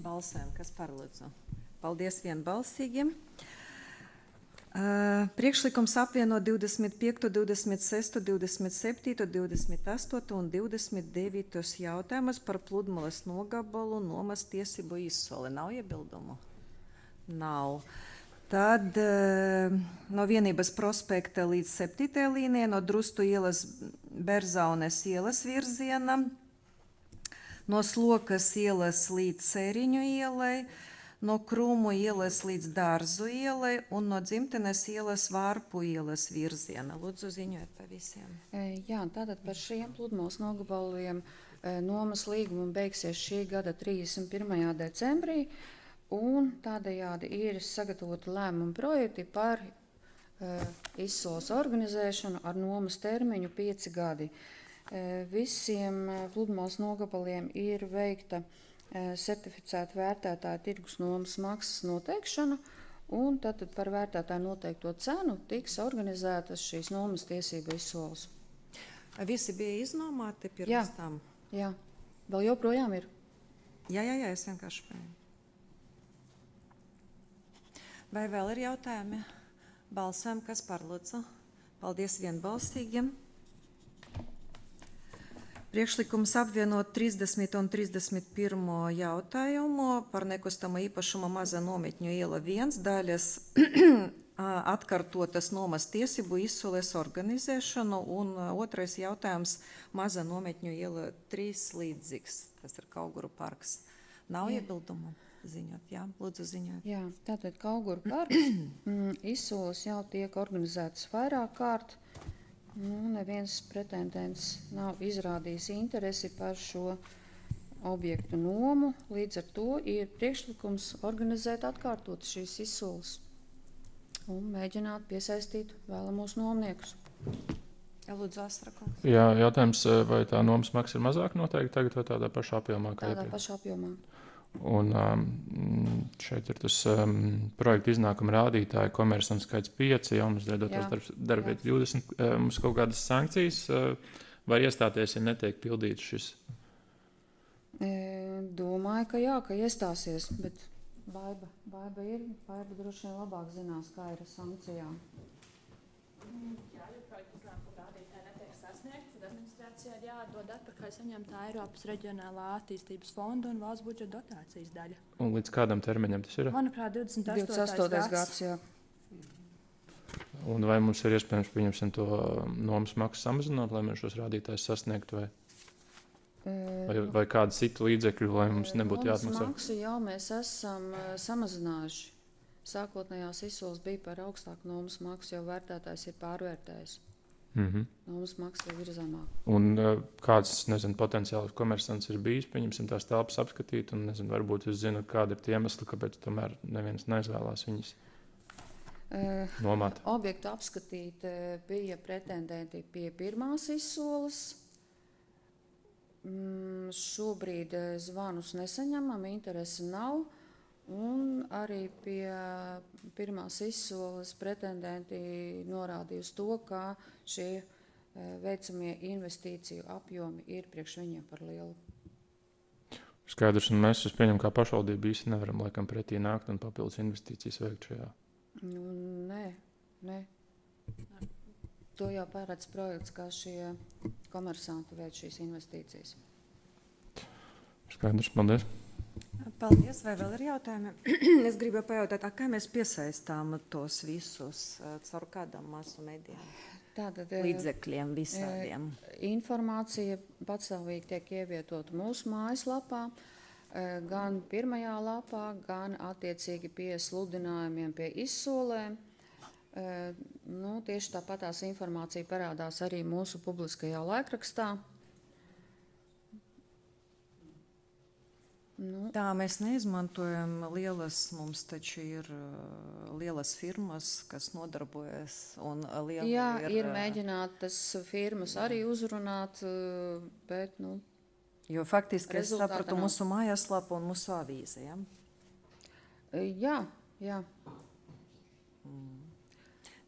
Balsēm, kas par lūdzu? Paldies vienbalsīgi. Uh, priekšlikums apvieno divdesmit piekto, divdesmit sesto, divdesmit septīto, divdesmit astoto un divdesmit devītos jautājumus par pludmales nogabalu nomas tiesību izsoli. Nav iebildumu? Nav. Tad uh, no Vienības prospekta līdz septītajai līnijai, no Drustu ielas Berzaunes ielas virziena, no Slokas ielas līdz Cēriņu ielai, no Krūmu ielas līdz Dārzu ielai un no Dzimtenes ielas Vārpu ielas virziena. Lūdzu, ziņojiet par visiem. Jā, tātad par šiem pludmales nogabaliem nomas līguma beigsies šī gada trīsdesmit pirmajā decembrī, un tādējādi ir sagatavoti lēmumu projekti par uh, izsoles organizēšanu ar nomas termiņu pieci gadi. Uh, visiem pludmales nogabaliem ir veikta certificēta vērtētāja tirgus nomas maksas noteikšana, un tad par vērtētāju noteikto cenu tiks organizētas šīs nomas tiesību izsoles. Visi bija iznomāti pirms Jā. tam? Jā, vēl joprojām ir. Jā, jā, jā, es vienkārši pēju. Vai vēl ir jautājumi? Balsojam, kas par, lūdzu? Paldies vienbalsīgiem. Priekšlikums apvienot trīsdesmito un trīsdesmit pirmo jautājumu par nekustamo īpašumu Maza nometņu iela viens daļas atkartotas nomas tiesību izsoles organizēšanu, un otrais jautājums Maza nometņu iela trīs līdzīgs, tas ir Kauguru parks. Nav iebildumu? Ziņot, jā, lūdzu ziņot. Jā, tātad Kauguru parks izsoles jau tiek organizētas vairāk kārt. Nu, neviens pretendents nav izrādījis interesi par šo objektu nomu, līdz ar to ir priekšlikums organizēt atkārtot šīs izsoles un mēģināt piesaistīt vēlamos nomniekus. Jā, lūdzu, Astrakungs. Jā, jautājums, vai tā nomas maksa ir mazāk noteikti tagad vai tādā pašā apjomā? Tādā pašā apjomā. Un um, šeit ir tas um, projekta iznākuma rādītāji, komersants skaits pieci, jaunas veidotos darbvietas divdesmit. Uh, mums kaut kādas sankcijas uh, var iestāties, ja netiek pildīts šis? E, domāju, ka jā, ka iestāsies, bet Baiba, Baiba ir, Baiba droši vien labāk zinās, kā ir ar sankcijām. Jā, ja projekta iznākuma rādītāji netiek sasniegti, tad administrācijā ir jādod atpakaļ saņemtā Eiropas reģionālā attīstības fonda un valsts budžeta dotācijas daļa. Un līdz kādam termiņam tas ir? Manuprāt, divdesmit astotais gads. gads jā. Un vai mums ir iespējams, pieņemsim, to nomas maksu samazināt, lai mēs šos rādītājus sasniegtu, vai, vai, vai kādu citu līdzekļu, lai mums nebūtu jāatmaksā? Nomas maksu jau mēs esam uh, samazinājuši. Sākotnējās izsoles bija par augstāku nomas maksu, jo vērtētājs ir pārvērtējis. Mm-hmm. Nomas maksa jau ir zemāk. Un uh, kāds, nezinu, potenciāls komersants ir bijis, pieņemsim tās telpas apskatīt, un, nezinu, varbūt jūs zināt, kāda ir tie iemesli, kāpēc tomēr neviens neizvēlās viņas uh, nomāt. Objektu apskatīt uh, bija pretendenti pie pirmās izsoles. Mm, šobrīd uh, zvanus nesaņemam, interesi nav. Un arī pie pirmās izsoles pretendenti norādīja uz to, ka šie veicamie investīciju apjomi ir priekš viņiem par lielu. Skaidrs, un mēs, es pieņemu, kā pašvaldība īsti nevaram laikam pretī nākt un papildus investīcijas veikt šajā. Nu, nē, nē. To jau pārēdz projekts, kā šie komersanti veic šīs investīcijas. Skaidrs, paldies. Paldies, vai vēl ir jautājumi? Es gribu pajautāt, kā mēs piesaistām tos visus caur kādam masu medijām? Tātad, līdzekļiem visādiem. Informācija patstāvīgi tiek ievietota mūsu mājaslapā, gan pirmajā lapā, gan attiecīgi pie sludinājumiem, pie izsolēm. Nu, tieši tāpatās informācija parādās arī mūsu publiskajā laikrakstā. Nu. Tā mēs neizmantojam lielas, mums taču ir uh, lielas firmas, kas nodarbojas. Un liela Jā, ir, ir mēģināt tas firmas arī uzrunāt, uh, bet, nu, jo faktiski es sapratu nav. Mūsu mājaslapu un mūsu avīzi, ja? Jā, jā. Mm.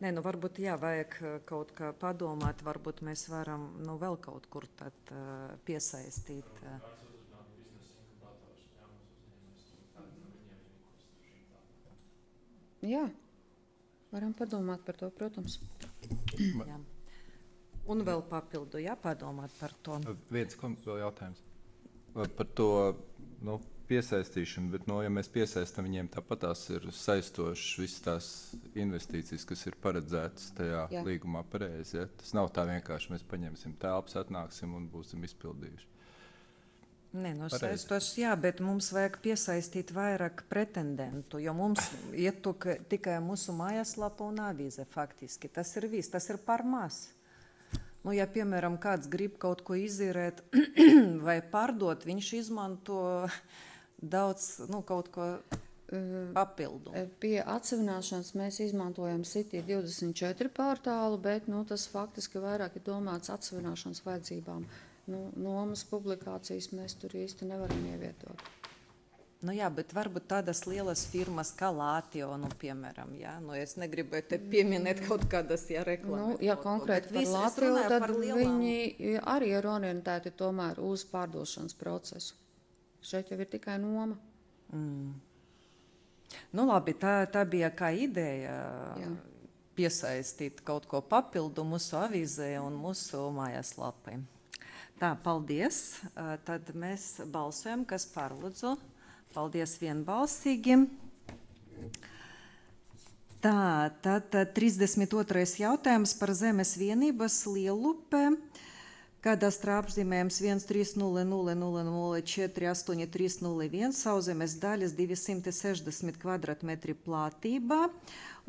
Nē, nu varbūt jā, vajag kaut kā padomāt, varbūt mēs varam, nu, vēl kaut kur tad uh, piesaistīt. Uh, Jā, Varam padomāt par to, protams. Jā. Un vēl papildu, jā, padomāt par to. Viens kom- vēl jautājums par to, nu, piesaistīšanu, bet, nu, ja mēs piesaistam viņiem, tāpat tās ir saistošas visas tās investīcijas, kas ir paredzētas tajā Jā. līgumā pareizi. Ja? Tas nav tā vienkārši, mēs paņemsim telpas, atnāksim un būsim izpildījuši. Nē, no Pareizi. saistošs, jā, bet mums vajag piesaistīt vairāk pretendentu, jo mums iet tuk- tikai mūsu mājaslapa un avīze faktiski. Tas ir viss, tas ir par maz. Nu, ja, piemēram, kāds grib kaut ko izīrēt vai pārdot, viņš izmanto daudz, nu, kaut ko papildu. Pie atsevināšanas mēs izmantojam City divdesmit četri portālu, bet nu, tas faktiski vairāk ir domāts atsevināšanas vajadzībām. Nu, nomas publikācijas mēs tur īsti nevaram ievietot. Nu, jā, bet varbūt tādas lielas firmas kā Latio, nu, piemēram, jā, nu, es negribu te pieminēt kaut kādas, jā, reklāmas. Nu, ja konkrēti par Latio, tad viņi arī ir orientēti tomēr uz pārdošanas procesu. Šeit jau ir tikai noma. Mm. Nu, labi, tā, tā bija kā ideja Jā. piesaistīt kaut ko papildu mūsu avīzē un mūsu mājaslapai. Tā, paldies. Uh, Tad mēs balsojam, kas par, lūdzu. Paldies vienbalsīgi. Tā, tad tad trīsdesmit otrais jautājums par zemes vienības Lielupe. Kadastra apzīmējums viens trīs nulle nulle nulle nulle četri astoņi trīs nulle viens, sauszemes daļas divsimt sešdesmit kvadratmetri platība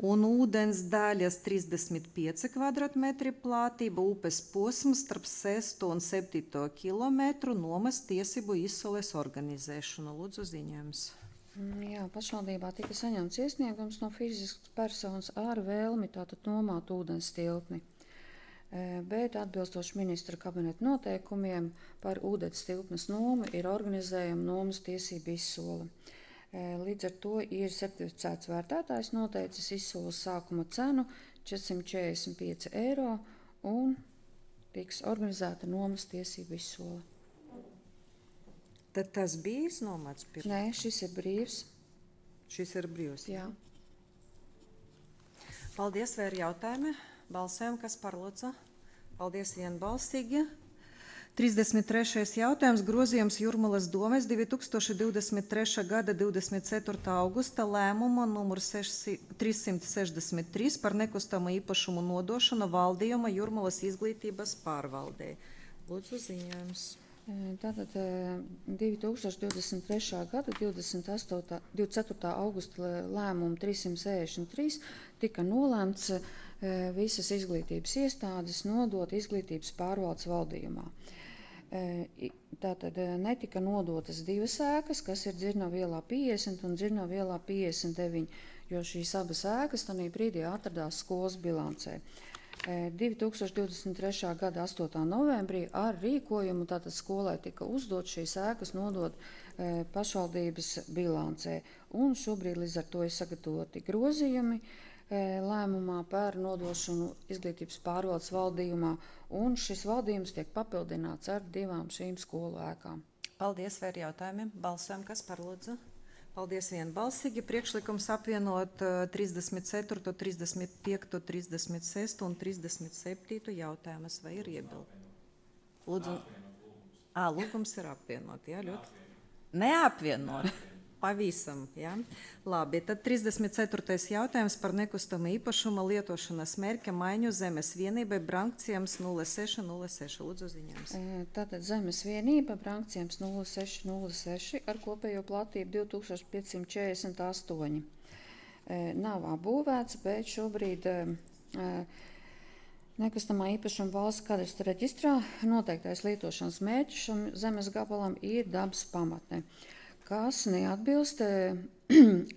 un ūdens daļas trīsdesmit pieci kvadratmetri platība, upes posms starp sesto un septīto kilometru, nomas tiesību izsoles organizēšanu. Lūdzu, ziņojums. Jā, pašvaldībā tika saņemts iesniegums no fiziskas personas ar vēlmi tātad nomāt ūdens tilpni. Bet atbilstoši ministra kabineta noteikumiem par ūdens tilpnes nomu ir organizējama nomas tiesību izsole. Līdz ar to ir certificēts vērtētājs noteicis izsoles sākuma cenu četrsimt četrdesmit pieci eiro un tiks organizēta nomas tiesību izsole. Tad tas bija iznomāts pirms? Nē, šis ir brīvs. Šis ir brīvs? Jā. Paldies, vai ir jautājumi? Balsējam, kas par, lūdzu? Paldies vienbalsīgi. trīsdesmit trešais jautājums, grozījums Jūrmalas domes divi tūkstoši divdesmit trešā gada divdesmit ceturtā augusta lēmuma numur trīssimt sešdesmit trīs par nekustamo īpašumu nodošanu valdījuma Jūrmalas izglītības pārvaldē. Lūdzu, ziņojums. Tātad divi tūkstoši divdesmit trešā gada divdesmit ceturtā augusta lēmuma trīssimt sešdesmit trīs tika nolēmts visas izglītības iestādes nodot izglītības pārvaldes valdījumā. Tātad netika nodotas divas ēkas, kas ir Dzirnavu ielā piecdesmit un Dzirnavu ielā piecdesmit deviņi, jo šīs abas ēkas tajā brīdī atradās skolas bilancē. divi tūkstoši divdesmit trešā gada astotā novembrī ar rīkojumu tātad skolai tika uzdot šīs ēkas nodot e, pašvaldības bilancē. Un šobrīd līdz ar to ir sagatavoti grozījumi e, lēmumā par nodošanu izglītības pārvaldes valdījumā, un šis valdījums tiek papildināts ar divām šīm skolu ēkām. Paldies, vai ir jautājumi? Balsojam, kas par, lūdzu? Paldies vienbalsīgi. Priekšlikums apvienot uh, trīsdesmit ceturto, trīsdesmit piekto, trīsdesmit sesto un trīsdesmit septīto jautājumus. Vai ir iebildi? Lūdzu. Ā, lūgums ir apvienot, jā, ļoti. Neapvienot. Pavisam, jā. Labi, tad trīsdesmit ceturtais jautājums par nekustamo īpašuma lietošanas mērķa maiņu zemes vienībai Brankciems nulle seši nulle seši. Lūdzu, ziņojums. Tātad zemes vienība Brankciems nulle seši nulle seši ar kopējo platību divi tūkstoši piecsimt četrdesmit astoņi. Nav apbūvēts, bet šobrīd nekustamā īpašuma valsts kadastra reģistrā noteiktais lietošanas mērķis šam zemes gabalam ir dabas pamatne, kas neatbilst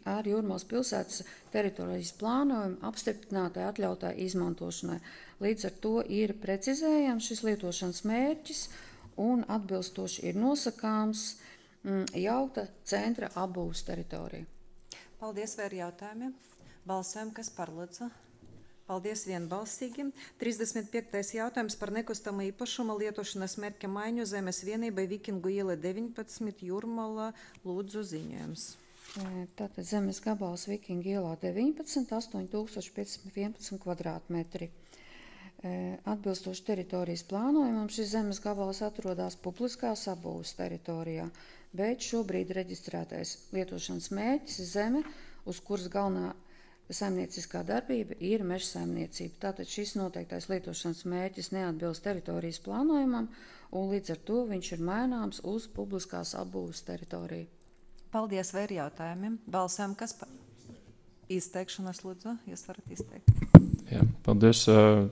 ar Jūrmalas pilsētas teritorijas plānojumu apstiprinātai atļautai izmantošanai. Līdz ar to ir precizējams šis lietošanas mērķis un atbilstoši ir nosakāms jaukta centra apbūves teritorija. Paldies, vai ir jautājumi? Balsojam, kas par, lūdzu? Paldies vienbalsīgi. trīsdesmit piektais jautājums par nekustamo īpašuma lietošanas mērķa maiņu zemes vienībai Vikingu iela deviņpadsmit Jūrmala. Lūdzu, ziņojums. Tātad zemes gabals Vikinga ielā deviņpadsmit, astoņi tūkstoši piecsimt vienpadsmit kvadrātmetri. Atbilstoši teritorijas plānojumam, šis zemes gabals atrodas publiskās apbūves teritorijā, bet šobrīd reģistrētais lietošanas mērķis ir zeme, uz kuras galvenā saimnieciskā darbība ir meža saimniecība. Tātad šis noteiktais lietošanas mērķis neatbilst teritorijas plānojumam, un līdz ar to viņš ir maināms uz publiskās apbūves teritoriju. Paldies, vai ir jautājumiem? Balsojam, kas par izteikšanas lūdzu, jūs varat izteikt. Jā, paldies.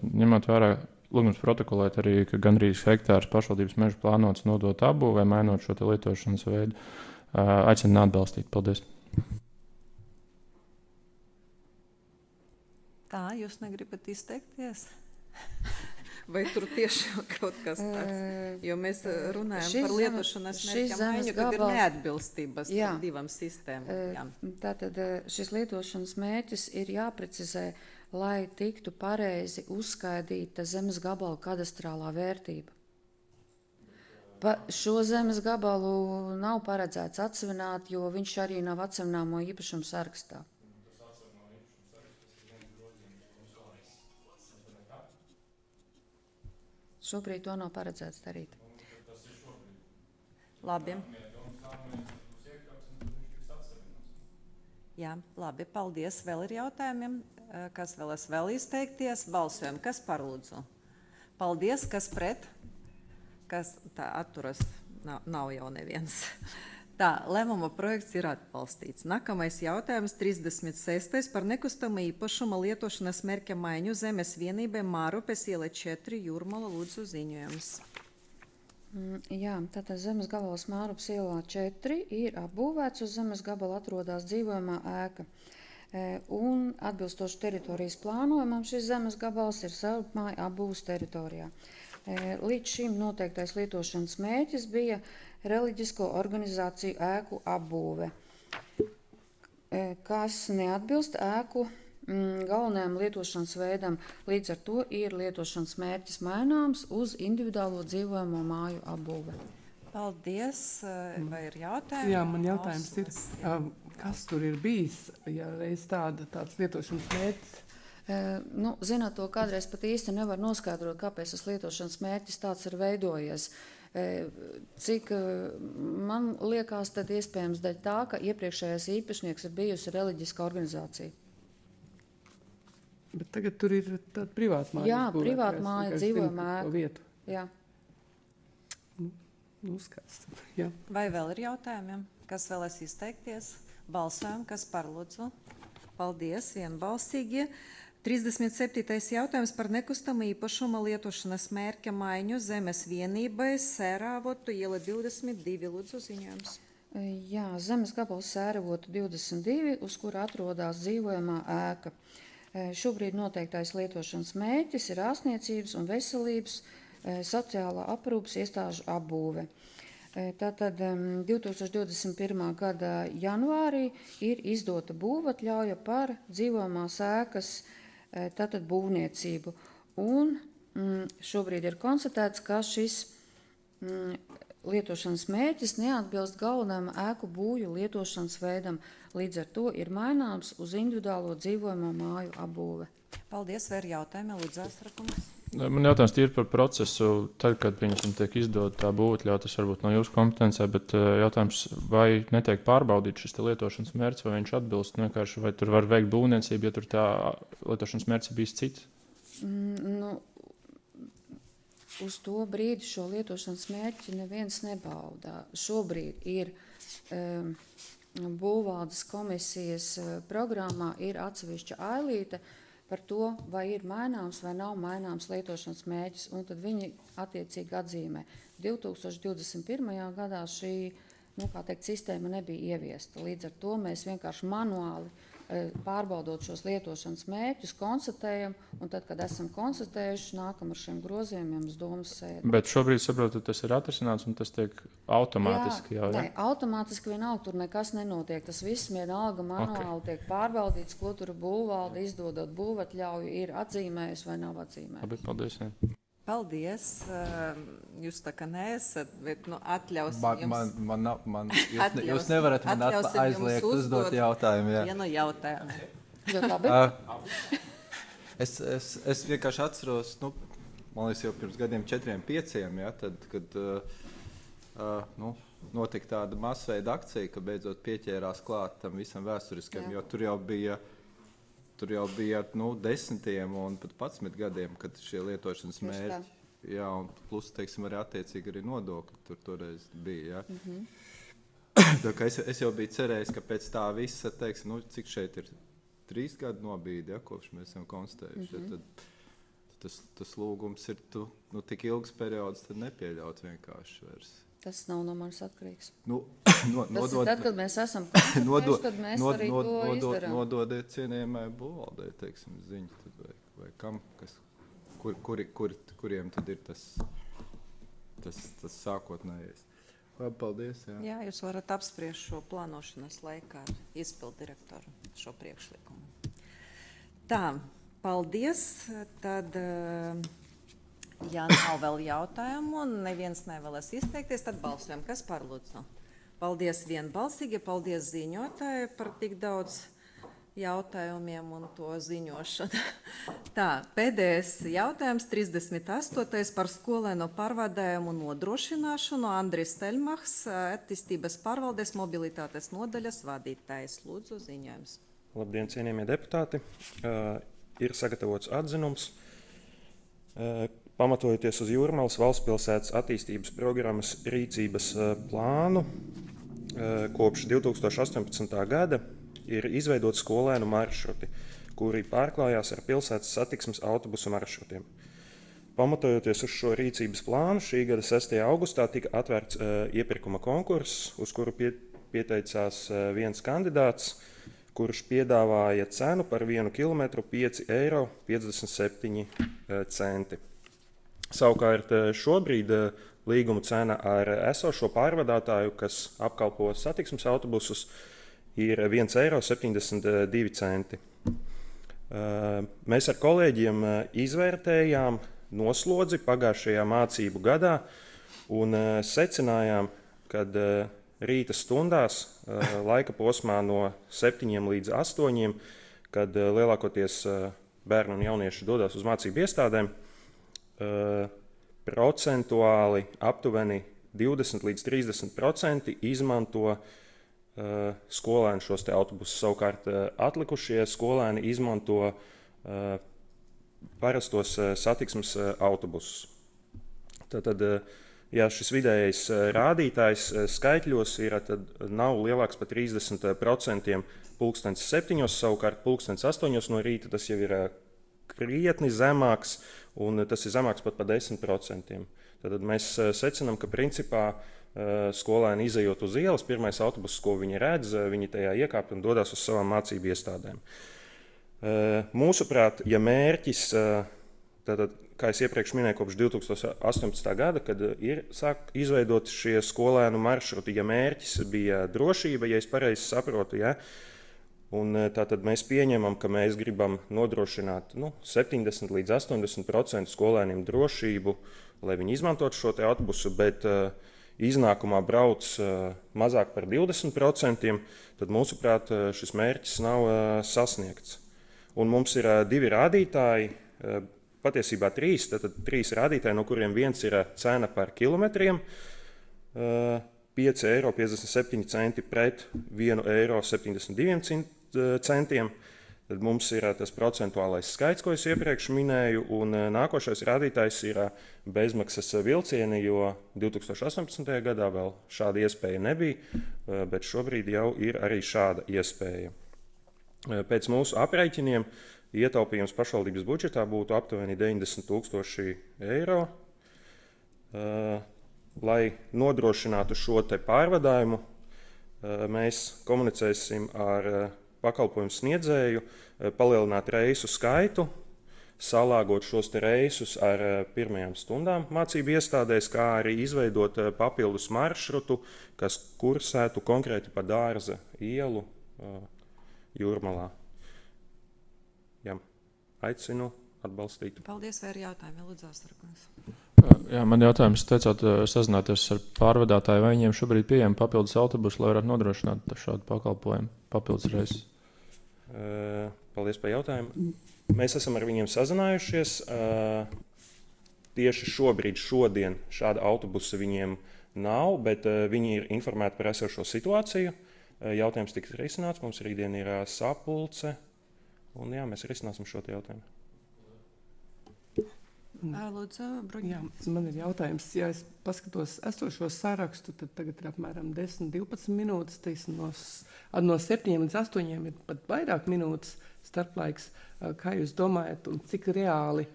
Ņemot vērā lūgums protokolēt arī, ka gandrīz hektārs pašvaldības meža plānots nodot apbūvē, mainot šo te lietošanas veidu, aicinu neatbalstīt. Paldies. Tā, jūs negribat izteikties? Vai tur tiešām kaut kas tāds? Jo mēs runājam Šis par zeme- lietošanas šis mērķa zemes maiņu, kad ir gabals- neatbilstības Jā. starp divām sistēmām. Jā. Tātad šis lietošanas mērķis ir jāprecizē, lai tiktu pareizi uzskaidīta zemes gabala kadastrālā vērtība. Pa šo zemes gabalu nav paredzēts atsevināt, jo viņš arī nav atsevināmo īpašumu sarakstā. Šobrīd to nav paredzēts darīt. Labi. Jā, labi, paldies. Vēl ir jautājumiem. Kas vēlas vēl izteikties? Balsojam, kas par lūdzu? Paldies, kas pret? Kas tā atturas? Nav, nav jau neviens. Tā, lēmuma projekts ir atbalstīts. Nākamais jautājums, trīsdesmit sestais par nekustamo īpašuma lietošanas mērķa maiņu zemes vienībai Mārupes iela četri Jūrmala lūdzu ziņojums. Mm, Jā, tātad zemes gabals Mārupes ielā četri ir apbūvēts, uz zemes gabala atrodas dzīvojamā ēka. E, Un atbilstoši teritorijas plānojumam šis zemes gabals ir savupmāju apbūves teritorijā. E, Līdz šim noteiktais lietošanas mērķis bija reliģisko organizāciju ēku apbūve, e, kas neatbilst ēku mm, galvenajam lietošanas veidam. Līdz ar to ir lietošanas mērķis maināms uz individuālo dzīvojamo māju apbūve. Paldies. Vai ir jautājumi? Jā, man jautājums ir, um, kas tur ir bijis, ja reiz tāda, tāds lietošanas mērķis? E, nu, zināt, to kādreiz pat īsti nevar noskaidrot, kāpēc tas lietošanas mērķis tāds ir veidojies. E, cik e, man liekas, tad iespējams dēļ tā, ka iepriekšējais īpašnieks ir bijusi reliģiska organizācija. Bet tagad tur ir tāda privāta māja. Jā, uzbūvēta, privāta es māja, tikai dzīvojamā zinu to ēka. vietu. Jā. Nu, skaisti. Jā. Vai vēl ir jautājumiem? Kas vēlas izteikties? Balsojam, kas par lūdzu? Paldies, vienbalsīgi. trīsdesmit septītais jautājums par nekustamo īpašuma lietošanas mērķa maiņu zemes vienībai Sēravotu iela divdesmit divi lūdzu ziņojums. E, Jā, zemes gabals Sēravotu divdesmit divi, uz kura atrodas dzīvojamā ēka. E, Šobrīd noteiktais lietošanas mērķis ir ārstniecības un veselības e, sociālā aprūpes iestāžu apbūve. E, Tātad em, divi tūkstoši divdesmit pirmā gada janvārī ir izdota būvatļauja par dzīvojamās ēkas e, tātad būvniecību. Un mm, šobrīd ir konstatēts, ka šis mm, lietošanas mērķis neatbilst galvenajam ēku būju lietošanas veidam. Līdz ar to ir maināms uz individuālo dzīvojamo māju apbūve. Paldies, vai ir jautājumi? Lūdzu, Asrakungs. Man jautājums ir par procesu. Tad, kad viņam tiek izdota tā būvatļauja, tas varbūt nav jūsu kompetencē, bet jautājums, vai netiek pārbaudīt šis lietošanas mērķis, vai viņš atbilst vienkārši, vai tur var veikt būvniecību, ja tur tā lietošanas mērķis ir bijis cits? Mm, nu, uz to brīdi šo lietošanas mērķi neviens nebauda. Šobrīd ir um, būvvaldes komisijas programmā ir atsevišķa ailīte par to, vai ir maināms vai nav maināms lietošanas mērķis, un tad viņi attiecīgi atzīmē. divi tūkstoši divdesmit pirmajā gadā šī, nu, kā teikt, sistēma nebija ieviesta. Līdz ar to mēs vienkārši manuāli pārbaudot šos lietošanas mērķus, konstatējam, un tad, kad esam konstatējuši, nākam ar šiem grozījumiem uz domas sēdi. Bet šobrīd saprotu, tas ir atrisināts un tas tiek automātiski Jā, jau, ja? Nē, automātiski vienalga tur nekas nenotiek. Tas viss vienalga manuāli okay. tiek pārbaudīts, ko tur būvvalde izdodot būvatļauju ir atzīmējusi vai nav atzīmējusi. Labi, paldies. Jā. Paldies. Jūs tā kā neesat, bet nu, atļausim Man, jums. man, man, nav- man, jūs, ne, Atļausim- jūs nevarat man atla- atļausim jums aizliegt uzdot uzdot jautājumu. Jā. Vienu jautājumu. Ļoti labi. Uh, es, es, es vienkārši atceros, nu, man liekas, jau pirms gadiem četriem, pieciem, ja, tad, kad uh, uh, nu, notika tāda masveida akcija, ka beidzot pieķērās klāt tam visam vēsturiskam, Jā. jo tur jau bija, tur jau bija nu, desmitiem un pat padsmit gadiem, kad šie lietošanas Tieši tā. mērķi, jā, un plus, teiksim, arī attiecīgi arī nodokļi tur toreiz bija, ja. Mhm. Tā kā es, es jau biju cerējis, ka pēc tā visa, teiksim, nu, cik šeit ir trīs gadu nobīdi, ja, kopš mēs esam konstatējuši, Mhm. tad tas, tas lūgums ir tu, nu, tik ilgs periods, tad nepieļaut vienkārši vairs. Tas nav no manis atkarīgs. Nu, no, Tas nodod, ir tad, kad mēs esam nodod, konstatējuši, tad mēs nod, arī nod, to nodod, izdarām. nododiet cienījamai būvvaldei, teiksim, ziņu, tad vai, vai kam, kas, kur, kuri, kur, kuriem tad ir tas, tas, tas sākotnējais. Labi, paldies. Jā. Jā, jūs varat apspriest šo plānošanas laikā ar izpildu direktoru šo priekšlikumu. Tā, paldies. Tad, eh, ja nav vēl jautājumu un neviens nevēlas izteikties, tad balsojam. Kas par lūdzu? Paldies vienbalsīgi, paldies ziņotāji par tik daudz jautājumiem un to ziņošanu. Tā, pēdējais jautājums, trīsdesmit astotais par skolēnu pārvadājumu nodrošināšanu. Andris Teļmachs, attīstības pārvaldes mobilitātes nodaļas vadītājs. Lūdzu, ziņojums. Labdien, cienījamie deputāti! Uh, ir sagatavots atzinums. Uh, pamatojoties uz Jūrmalas valstspilsētas attīstības programmas rīcības uh, plānu, uh, kopš divi tūkstoši astoņpadsmitā gada ir izveidoti skolēnu maršruti, kuri pārklājās ar pilsētas satiksmes autobusu maršrutiem. Pamatojoties uz šo rīcības plānu, šī gada sestajā augustā tika atvērts uh, iepirkuma konkurss, uz kuru pie, pieteicās uh, viens kandidāts, kurš piedāvāja cenu par vienu kilometru pieci eiro piecdesmit septiņi centi. Savukārt šobrīd līguma cena ar esošo pārvadātāju, kas apkalpo satiksmes autobusus, ir viens eiro septiņdesmit divi centi. Mēs ar kolēģiem izvērtējām noslodzi pagājušajā mācību gadā un secinājām, kad rīta stundās, laika posmā no septiņiem līdz astoņiem, kad lielākoties bērni un jaunieši dodas uz mācību iestādēm, procentuāli aptuveni divdesmit līdz trīsdesmit procenti izmanto skolēni šos te autobusus. Savukārt atlikušie skolēni izmanto parastos satiksmes autobusus. Tātad, ja šis vidējais rādītājs skaitļos ir, tad nav lielāks par trīsdesmit procentiem pulkstens septiņos, savukārt pulkstens astoņos no rīta tas jau ir krietni zemāks, un tas ir zemāks pat par desmit procentiem. Tad mēs secinām, ka principā skolēni izejot uz ielas, pirmais autobus, ko viņi redz, viņi tajā iekāpj un dodas uz savām mācību iestādēm. Mūsuprāt, ja mērķis, tātad, kā es iepriekš minēju, kopš divi tūkstoši astoņpadsmitā gada, kad ir sāk izveidot šie skolēnu maršruti, ja mērķis bija drošība, ja es pareizi saprotu, ja, un tātad mēs pieņemam, ka mēs gribam nodrošināt nu, septiņdesmit līdz astoņdesmit procenti skolēniem drošību, lai viņi izmantotu šo te autobusu, bet uh, iznākumā brauc uh, mazāk par divdesmit procentiem, tad mūsuprāt šis mērķis nav uh, sasniegts. Un mums ir uh, divi rādītāji, uh, patiesībā trīs, tad trīs rādītāji, no kuriem viens ir cena par kilometriem, uh, pieci eiro piecdesmit septiņi centi pret vienu eiro septiņdesmit divi centiem. Tad mums ir tas procentuālais skaits, ko es iepriekš minēju, un nākošais rādītājs ir bezmaksas vilcieni, jo divi tūkstoši astoņpadsmitajā gadā vēl šāda iespēja nebija, bet šobrīd jau ir arī šāda iespēja. Pēc mūsu aprēķiniem ietaupījums pašvaldības budžetā būtu aptuveni deviņdesmit tūkstoši eiro. Lai nodrošinātu šo te pārvadājumu, mēs komunicēsim ar pakalpojumu sniedzēju, palielināt reisu skaitu, salāgot šos te reisus ar pirmajām stundām mācību iestādēs, kā arī izveidot papildus maršrutu, kas kursētu konkrēti pa Dārza ielu Jūrmalā. Jā, aicinu atbalstītu. Paldies, vai ir jautājumi, Lūdzu, Astarkungs? Jā, man jautājums, teicāt, sazināties ar pārvadātāju, vai viņiem šobrīd pieejami papildus autobusi, lai varētu nodrošināt šādu pakalpojumu papildus reizes? Uh, paldies par jautājumu. Mēs esam ar viņiem sazinājušies. Uh, tieši šobrīd, šodien šāda autobusa viņiem nav, bet uh, viņi ir informēti par esošo situāciju. Uh, jautājums tiks risināts, mums rītdien ir uh, sapulce, un jā, mēs risināsim šo jautājumu. Lūdzu, Jā, man ir jautājums, ja es paskatos esošo sarakstu, tad tagad ir apmēram desmit divpadsmit minūtes, teiksim, no, no septiņiem līdz astoņiem ir pat vairāk minūtes starplaiks. Kā jūs domājat, un cik reāli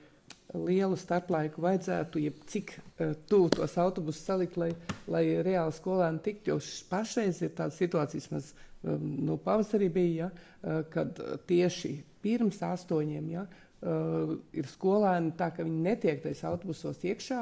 lielu starplaiku vajadzētu, ja cik uh, tuvu tos autobusus salikt, lai, lai reāli skolēni tiktu, jo pašreiz ir tādas situācijas, mēs um, no pavasarī bija, ja, uh, kad tieši pirms astoņiem, ja, Uh, ir skolēni tā, ka viņi netiek tais autobusos iekšā.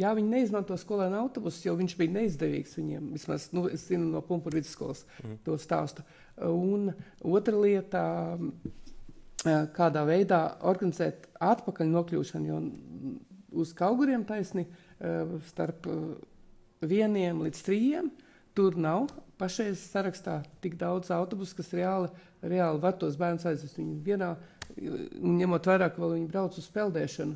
Jā, viņi neizmanto skolēnu autobusus, jo viņš bija neizdevīgs viņiem. Vismaz, nu, es zinu no Pumpuru vidusskolas mm. to stāstu. Uh, un otra lieta, uh, kādā veidā organizēt atpakaļ nokļūšanu, jo uz Kauguriem taisni uh, starp uh, vieniem līdz trījiem tur nav pašreiz sarakstā tik daudz autobusu, kas reāli, reāli var tos bērnus aizvest viņu vienā. Un ņemot vērā, ka vēl viņi brauc uz peldēšanu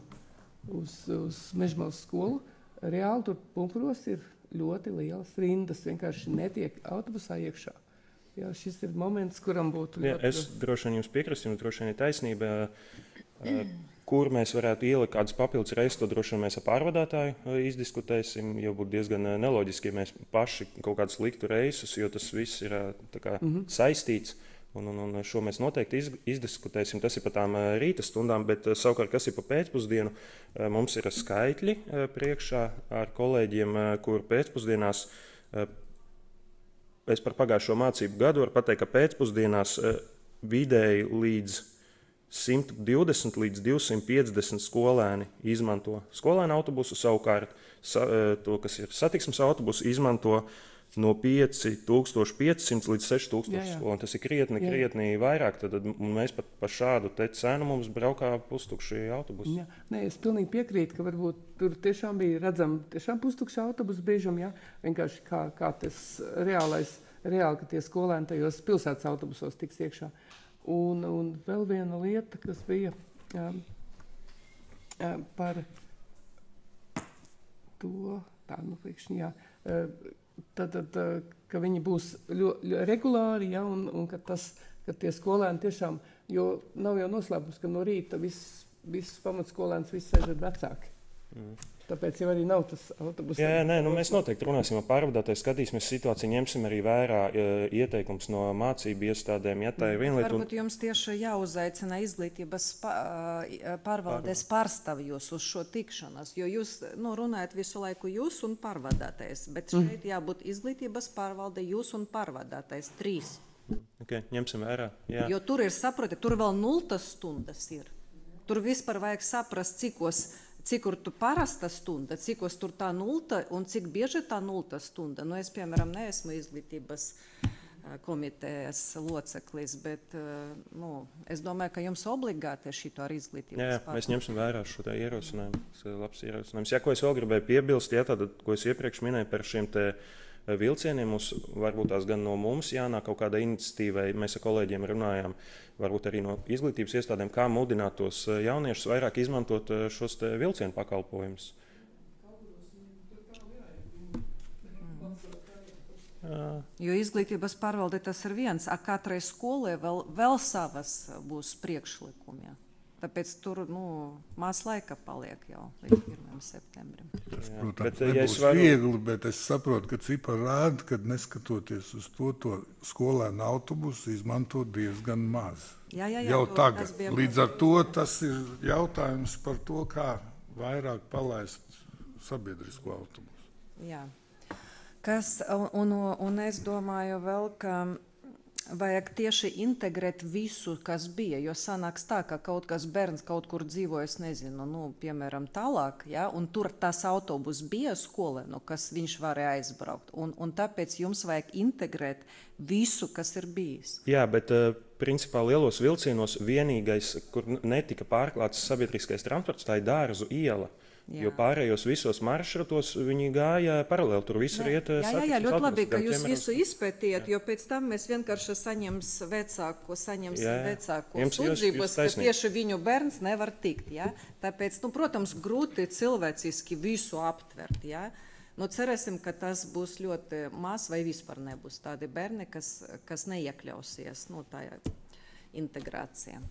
uz, uz Mežmalas skolu, reāli tur Pumpuros ir ļoti lielas rindas, vienkārši netiek autobusā iekšā. Jā, šis ir moments, kuram būtu ļoti... Jā, es droši vien jums piekrastu, jums droši vien ir taisnība, kur mēs varētu ielikt kādus papildus reizes, to droši vien mēs ar pārvadātāju izdiskutēsim, jo būtu diezgan neloģiski, ja mēs paši kaut kādus liktu reisus, jo tas viss ir tā kā mm-hmm. saistīts. Un, un, un šo mēs noteikti iz, izdiskutēsim. Tas ir par tām rīta stundām, bet savukārt, kas ir pa pēcpusdienu, mums ir skaitļi priekšā ar kolēģiem, kur pēcpusdienās, es par pagājušo mācību gadu varu pateikt, ka pēcpusdienās vidēji līdz simt divdesmit līdz divsimt piecdesmit skolēni izmanto skolēnu autobusu, savukārt to, kas ir satiksmes autobusu, izmanto no pieci tūkstoši piecsimt līdz seši tūkstoši skolēni. Tas ir krietni, jā. krietni vairāk. Tad mēs pat par šādu te cenu mums braukā pustukši autobusi. Jā. Nē, es pilnīgi piekrītu, ka varbūt tur tiešām bija redzami tiešām pustukši autobusi biežam, jā. Vienkārši kā, kā tas reālais, reāli, ka tie skolēni tajos pilsētas autobusos tiks iekšā. Un, un vēl viena lieta, kas bija um, um, par to, tā, nu, priekšņi, jā, uh, Tad, tad, ka viņi būs ļoti regulāri, ja, un, un ka, tas, ka tie skolēni tiešām, jo nav jau noslēpums, ka no rīta viss, viss pamatskolēns, viss sēž ar vecāki. Mm. Tāpēc jau arī nav tas autobus. Jā, jā, nē, nu mēs noteikti runāsim ar pārvadātāju, skatīsimies situāciju, ņemsim arī vērā ieteikums no mācību iestādēm. Ja, tā ir viena lieta. Varbūt jums tieši jāuzaicina izglītības pārvaldes pārstāvjus uz šo tikšanos, jo jūs nu, runājat visu laiku jūs un pārvadātais, bet šeit mm. jābūt izglītības pārvalde jūs un pārvadātais trīs. Okay, ņemsim vērā, jā. Jo tur ir, saproti, tur vēl nultas stundas ir. Tur vispār vajag saprast, cikos cik tu parasta stunda, cikos tur tā nulta un cik bieži tā nulta stunda. Nu, es, piemēram, neesmu izglītības komitejas loceklis, bet nu, es domāju, ka jums obligāti ir šito ar izglītības jā, jā, pārvaldi. Mēs ņemsim vērā šo tā ierosinājumu. Tas ir labs ierosinājums. Jā, ko es vēl gribēju piebilst, jā, tātad, ko es iepriekš minēju par šiem te vilcieniem, mums varbūt tās gan no mums jānāk kaut kāda iniciatīvai. Mēs ar kolēģiem runājām, varbūt arī no izglītības iestādēm, kā mudināt tos jauniešus vairāk izmantot šos te vilcienu pakalpojumus. Mm. Jo izglītības pārvalde tas ir viens, a katrai skolai vēl, vēl savas būs priekšlikumi. Tāpēc tur nu, maz laika paliek jau līdz pirmajam septembrim. Tas, protams, bet, nebūs ja es varu... viegli, bet es saprotu, ka cipari rāda, ka neskatoties uz to, to skolēnu autobusu izmanto diezgan maz. Jā, jā, jā, jau to, tagad. Līdz ar to to. Tas ir jautājums par to, kā vairāk palaist sabiedrisko autobusu. Jā. Kas, un, un, un es domāju vēl, ka vajag tieši integrēt visu, kas bija. Jo sanāks tā, ka kaut kas bērns kaut kur dzīvo, es nezinu, nu, piemēram, tālāk, ja, un tur tas autobus bija skolē, nu, kas viņš varēja aizbraukt. Un, un tāpēc jums vajag integrēt visu, kas ir bijis. Jā, bet uh, principā lielos vilcienos vienīgais, kur netika pārklāts sabiedriskais transports, tā ir Dārzu iela. Jā. Jo pārējos visos maršrutos viņi gāja paralēli. Tur viss ir iet. Jā, jā, jā, ļoti labi, ka jūs visu izpētījat, jo pēc tam mēs vienkārši saņems vecāku, saņemsim vecāku sūdzības, ka tieši viņu bērns nevar tikt. Jā. Tāpēc, nu, protams, grūti cilvēciski visu aptvert. Jā. Nu, cerēsim, ka tas būs ļoti maz vai vispār nebūs tādi bērni, kas, kas neiekļausies, nu, tajā integrācijā.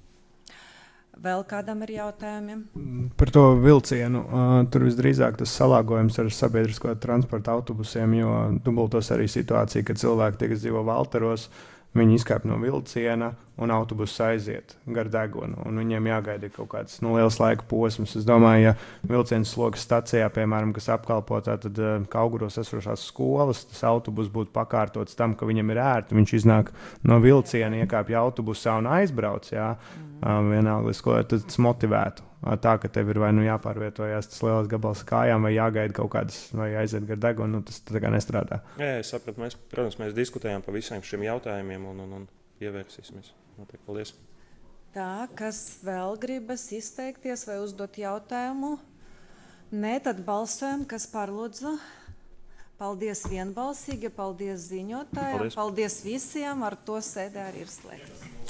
Vēl kādam ir jautājumi? Par to vilcienu. Uh, tur visdrīzāk tas salāgojums ar sabiedrisko transporta autobusiem, jo dubultos arī situācija, ka cilvēki, tie, kas dzīvo Valteros, viņi izkāp no vilciena un autobuss aiziet gar degunu. Un viņiem jāgaida kaut kāds nu, liels laika posms. Es domāju, ja vilciens slogas stacijā, piemēram, kas apkalpo tātad uh, Kauguros esošās skolas, tas autobus būtu pakārtots tam, ka viņam ir ērti. Viņš iznāk no vilciena, iekāpja autobusā un aizbrauc. Jā. Uh, vienalga, skolē, tad tas motivētu. Uh, tā, ka tev ir vai nu jāpārvietojās tas lielais gabals kājām, vai jāgaida kaut kādas, vai aiziet gar degunu, nu, tas tā kā nestrādā. Jā, es sapratu. Mēs, protams, mēs diskutējām par visiem šiem jautājumiem un, un, un ievērsīsimies. Notiek, paldies. Tā, kas vēl gribas izteikties vai uzdot jautājumu? Nē, tad balsojam, kas par lūdzu. Paldies vienbalsīgi, paldies ziņotājiem, paldies. paldies visiem, ar to sēdē arī ir slēgts.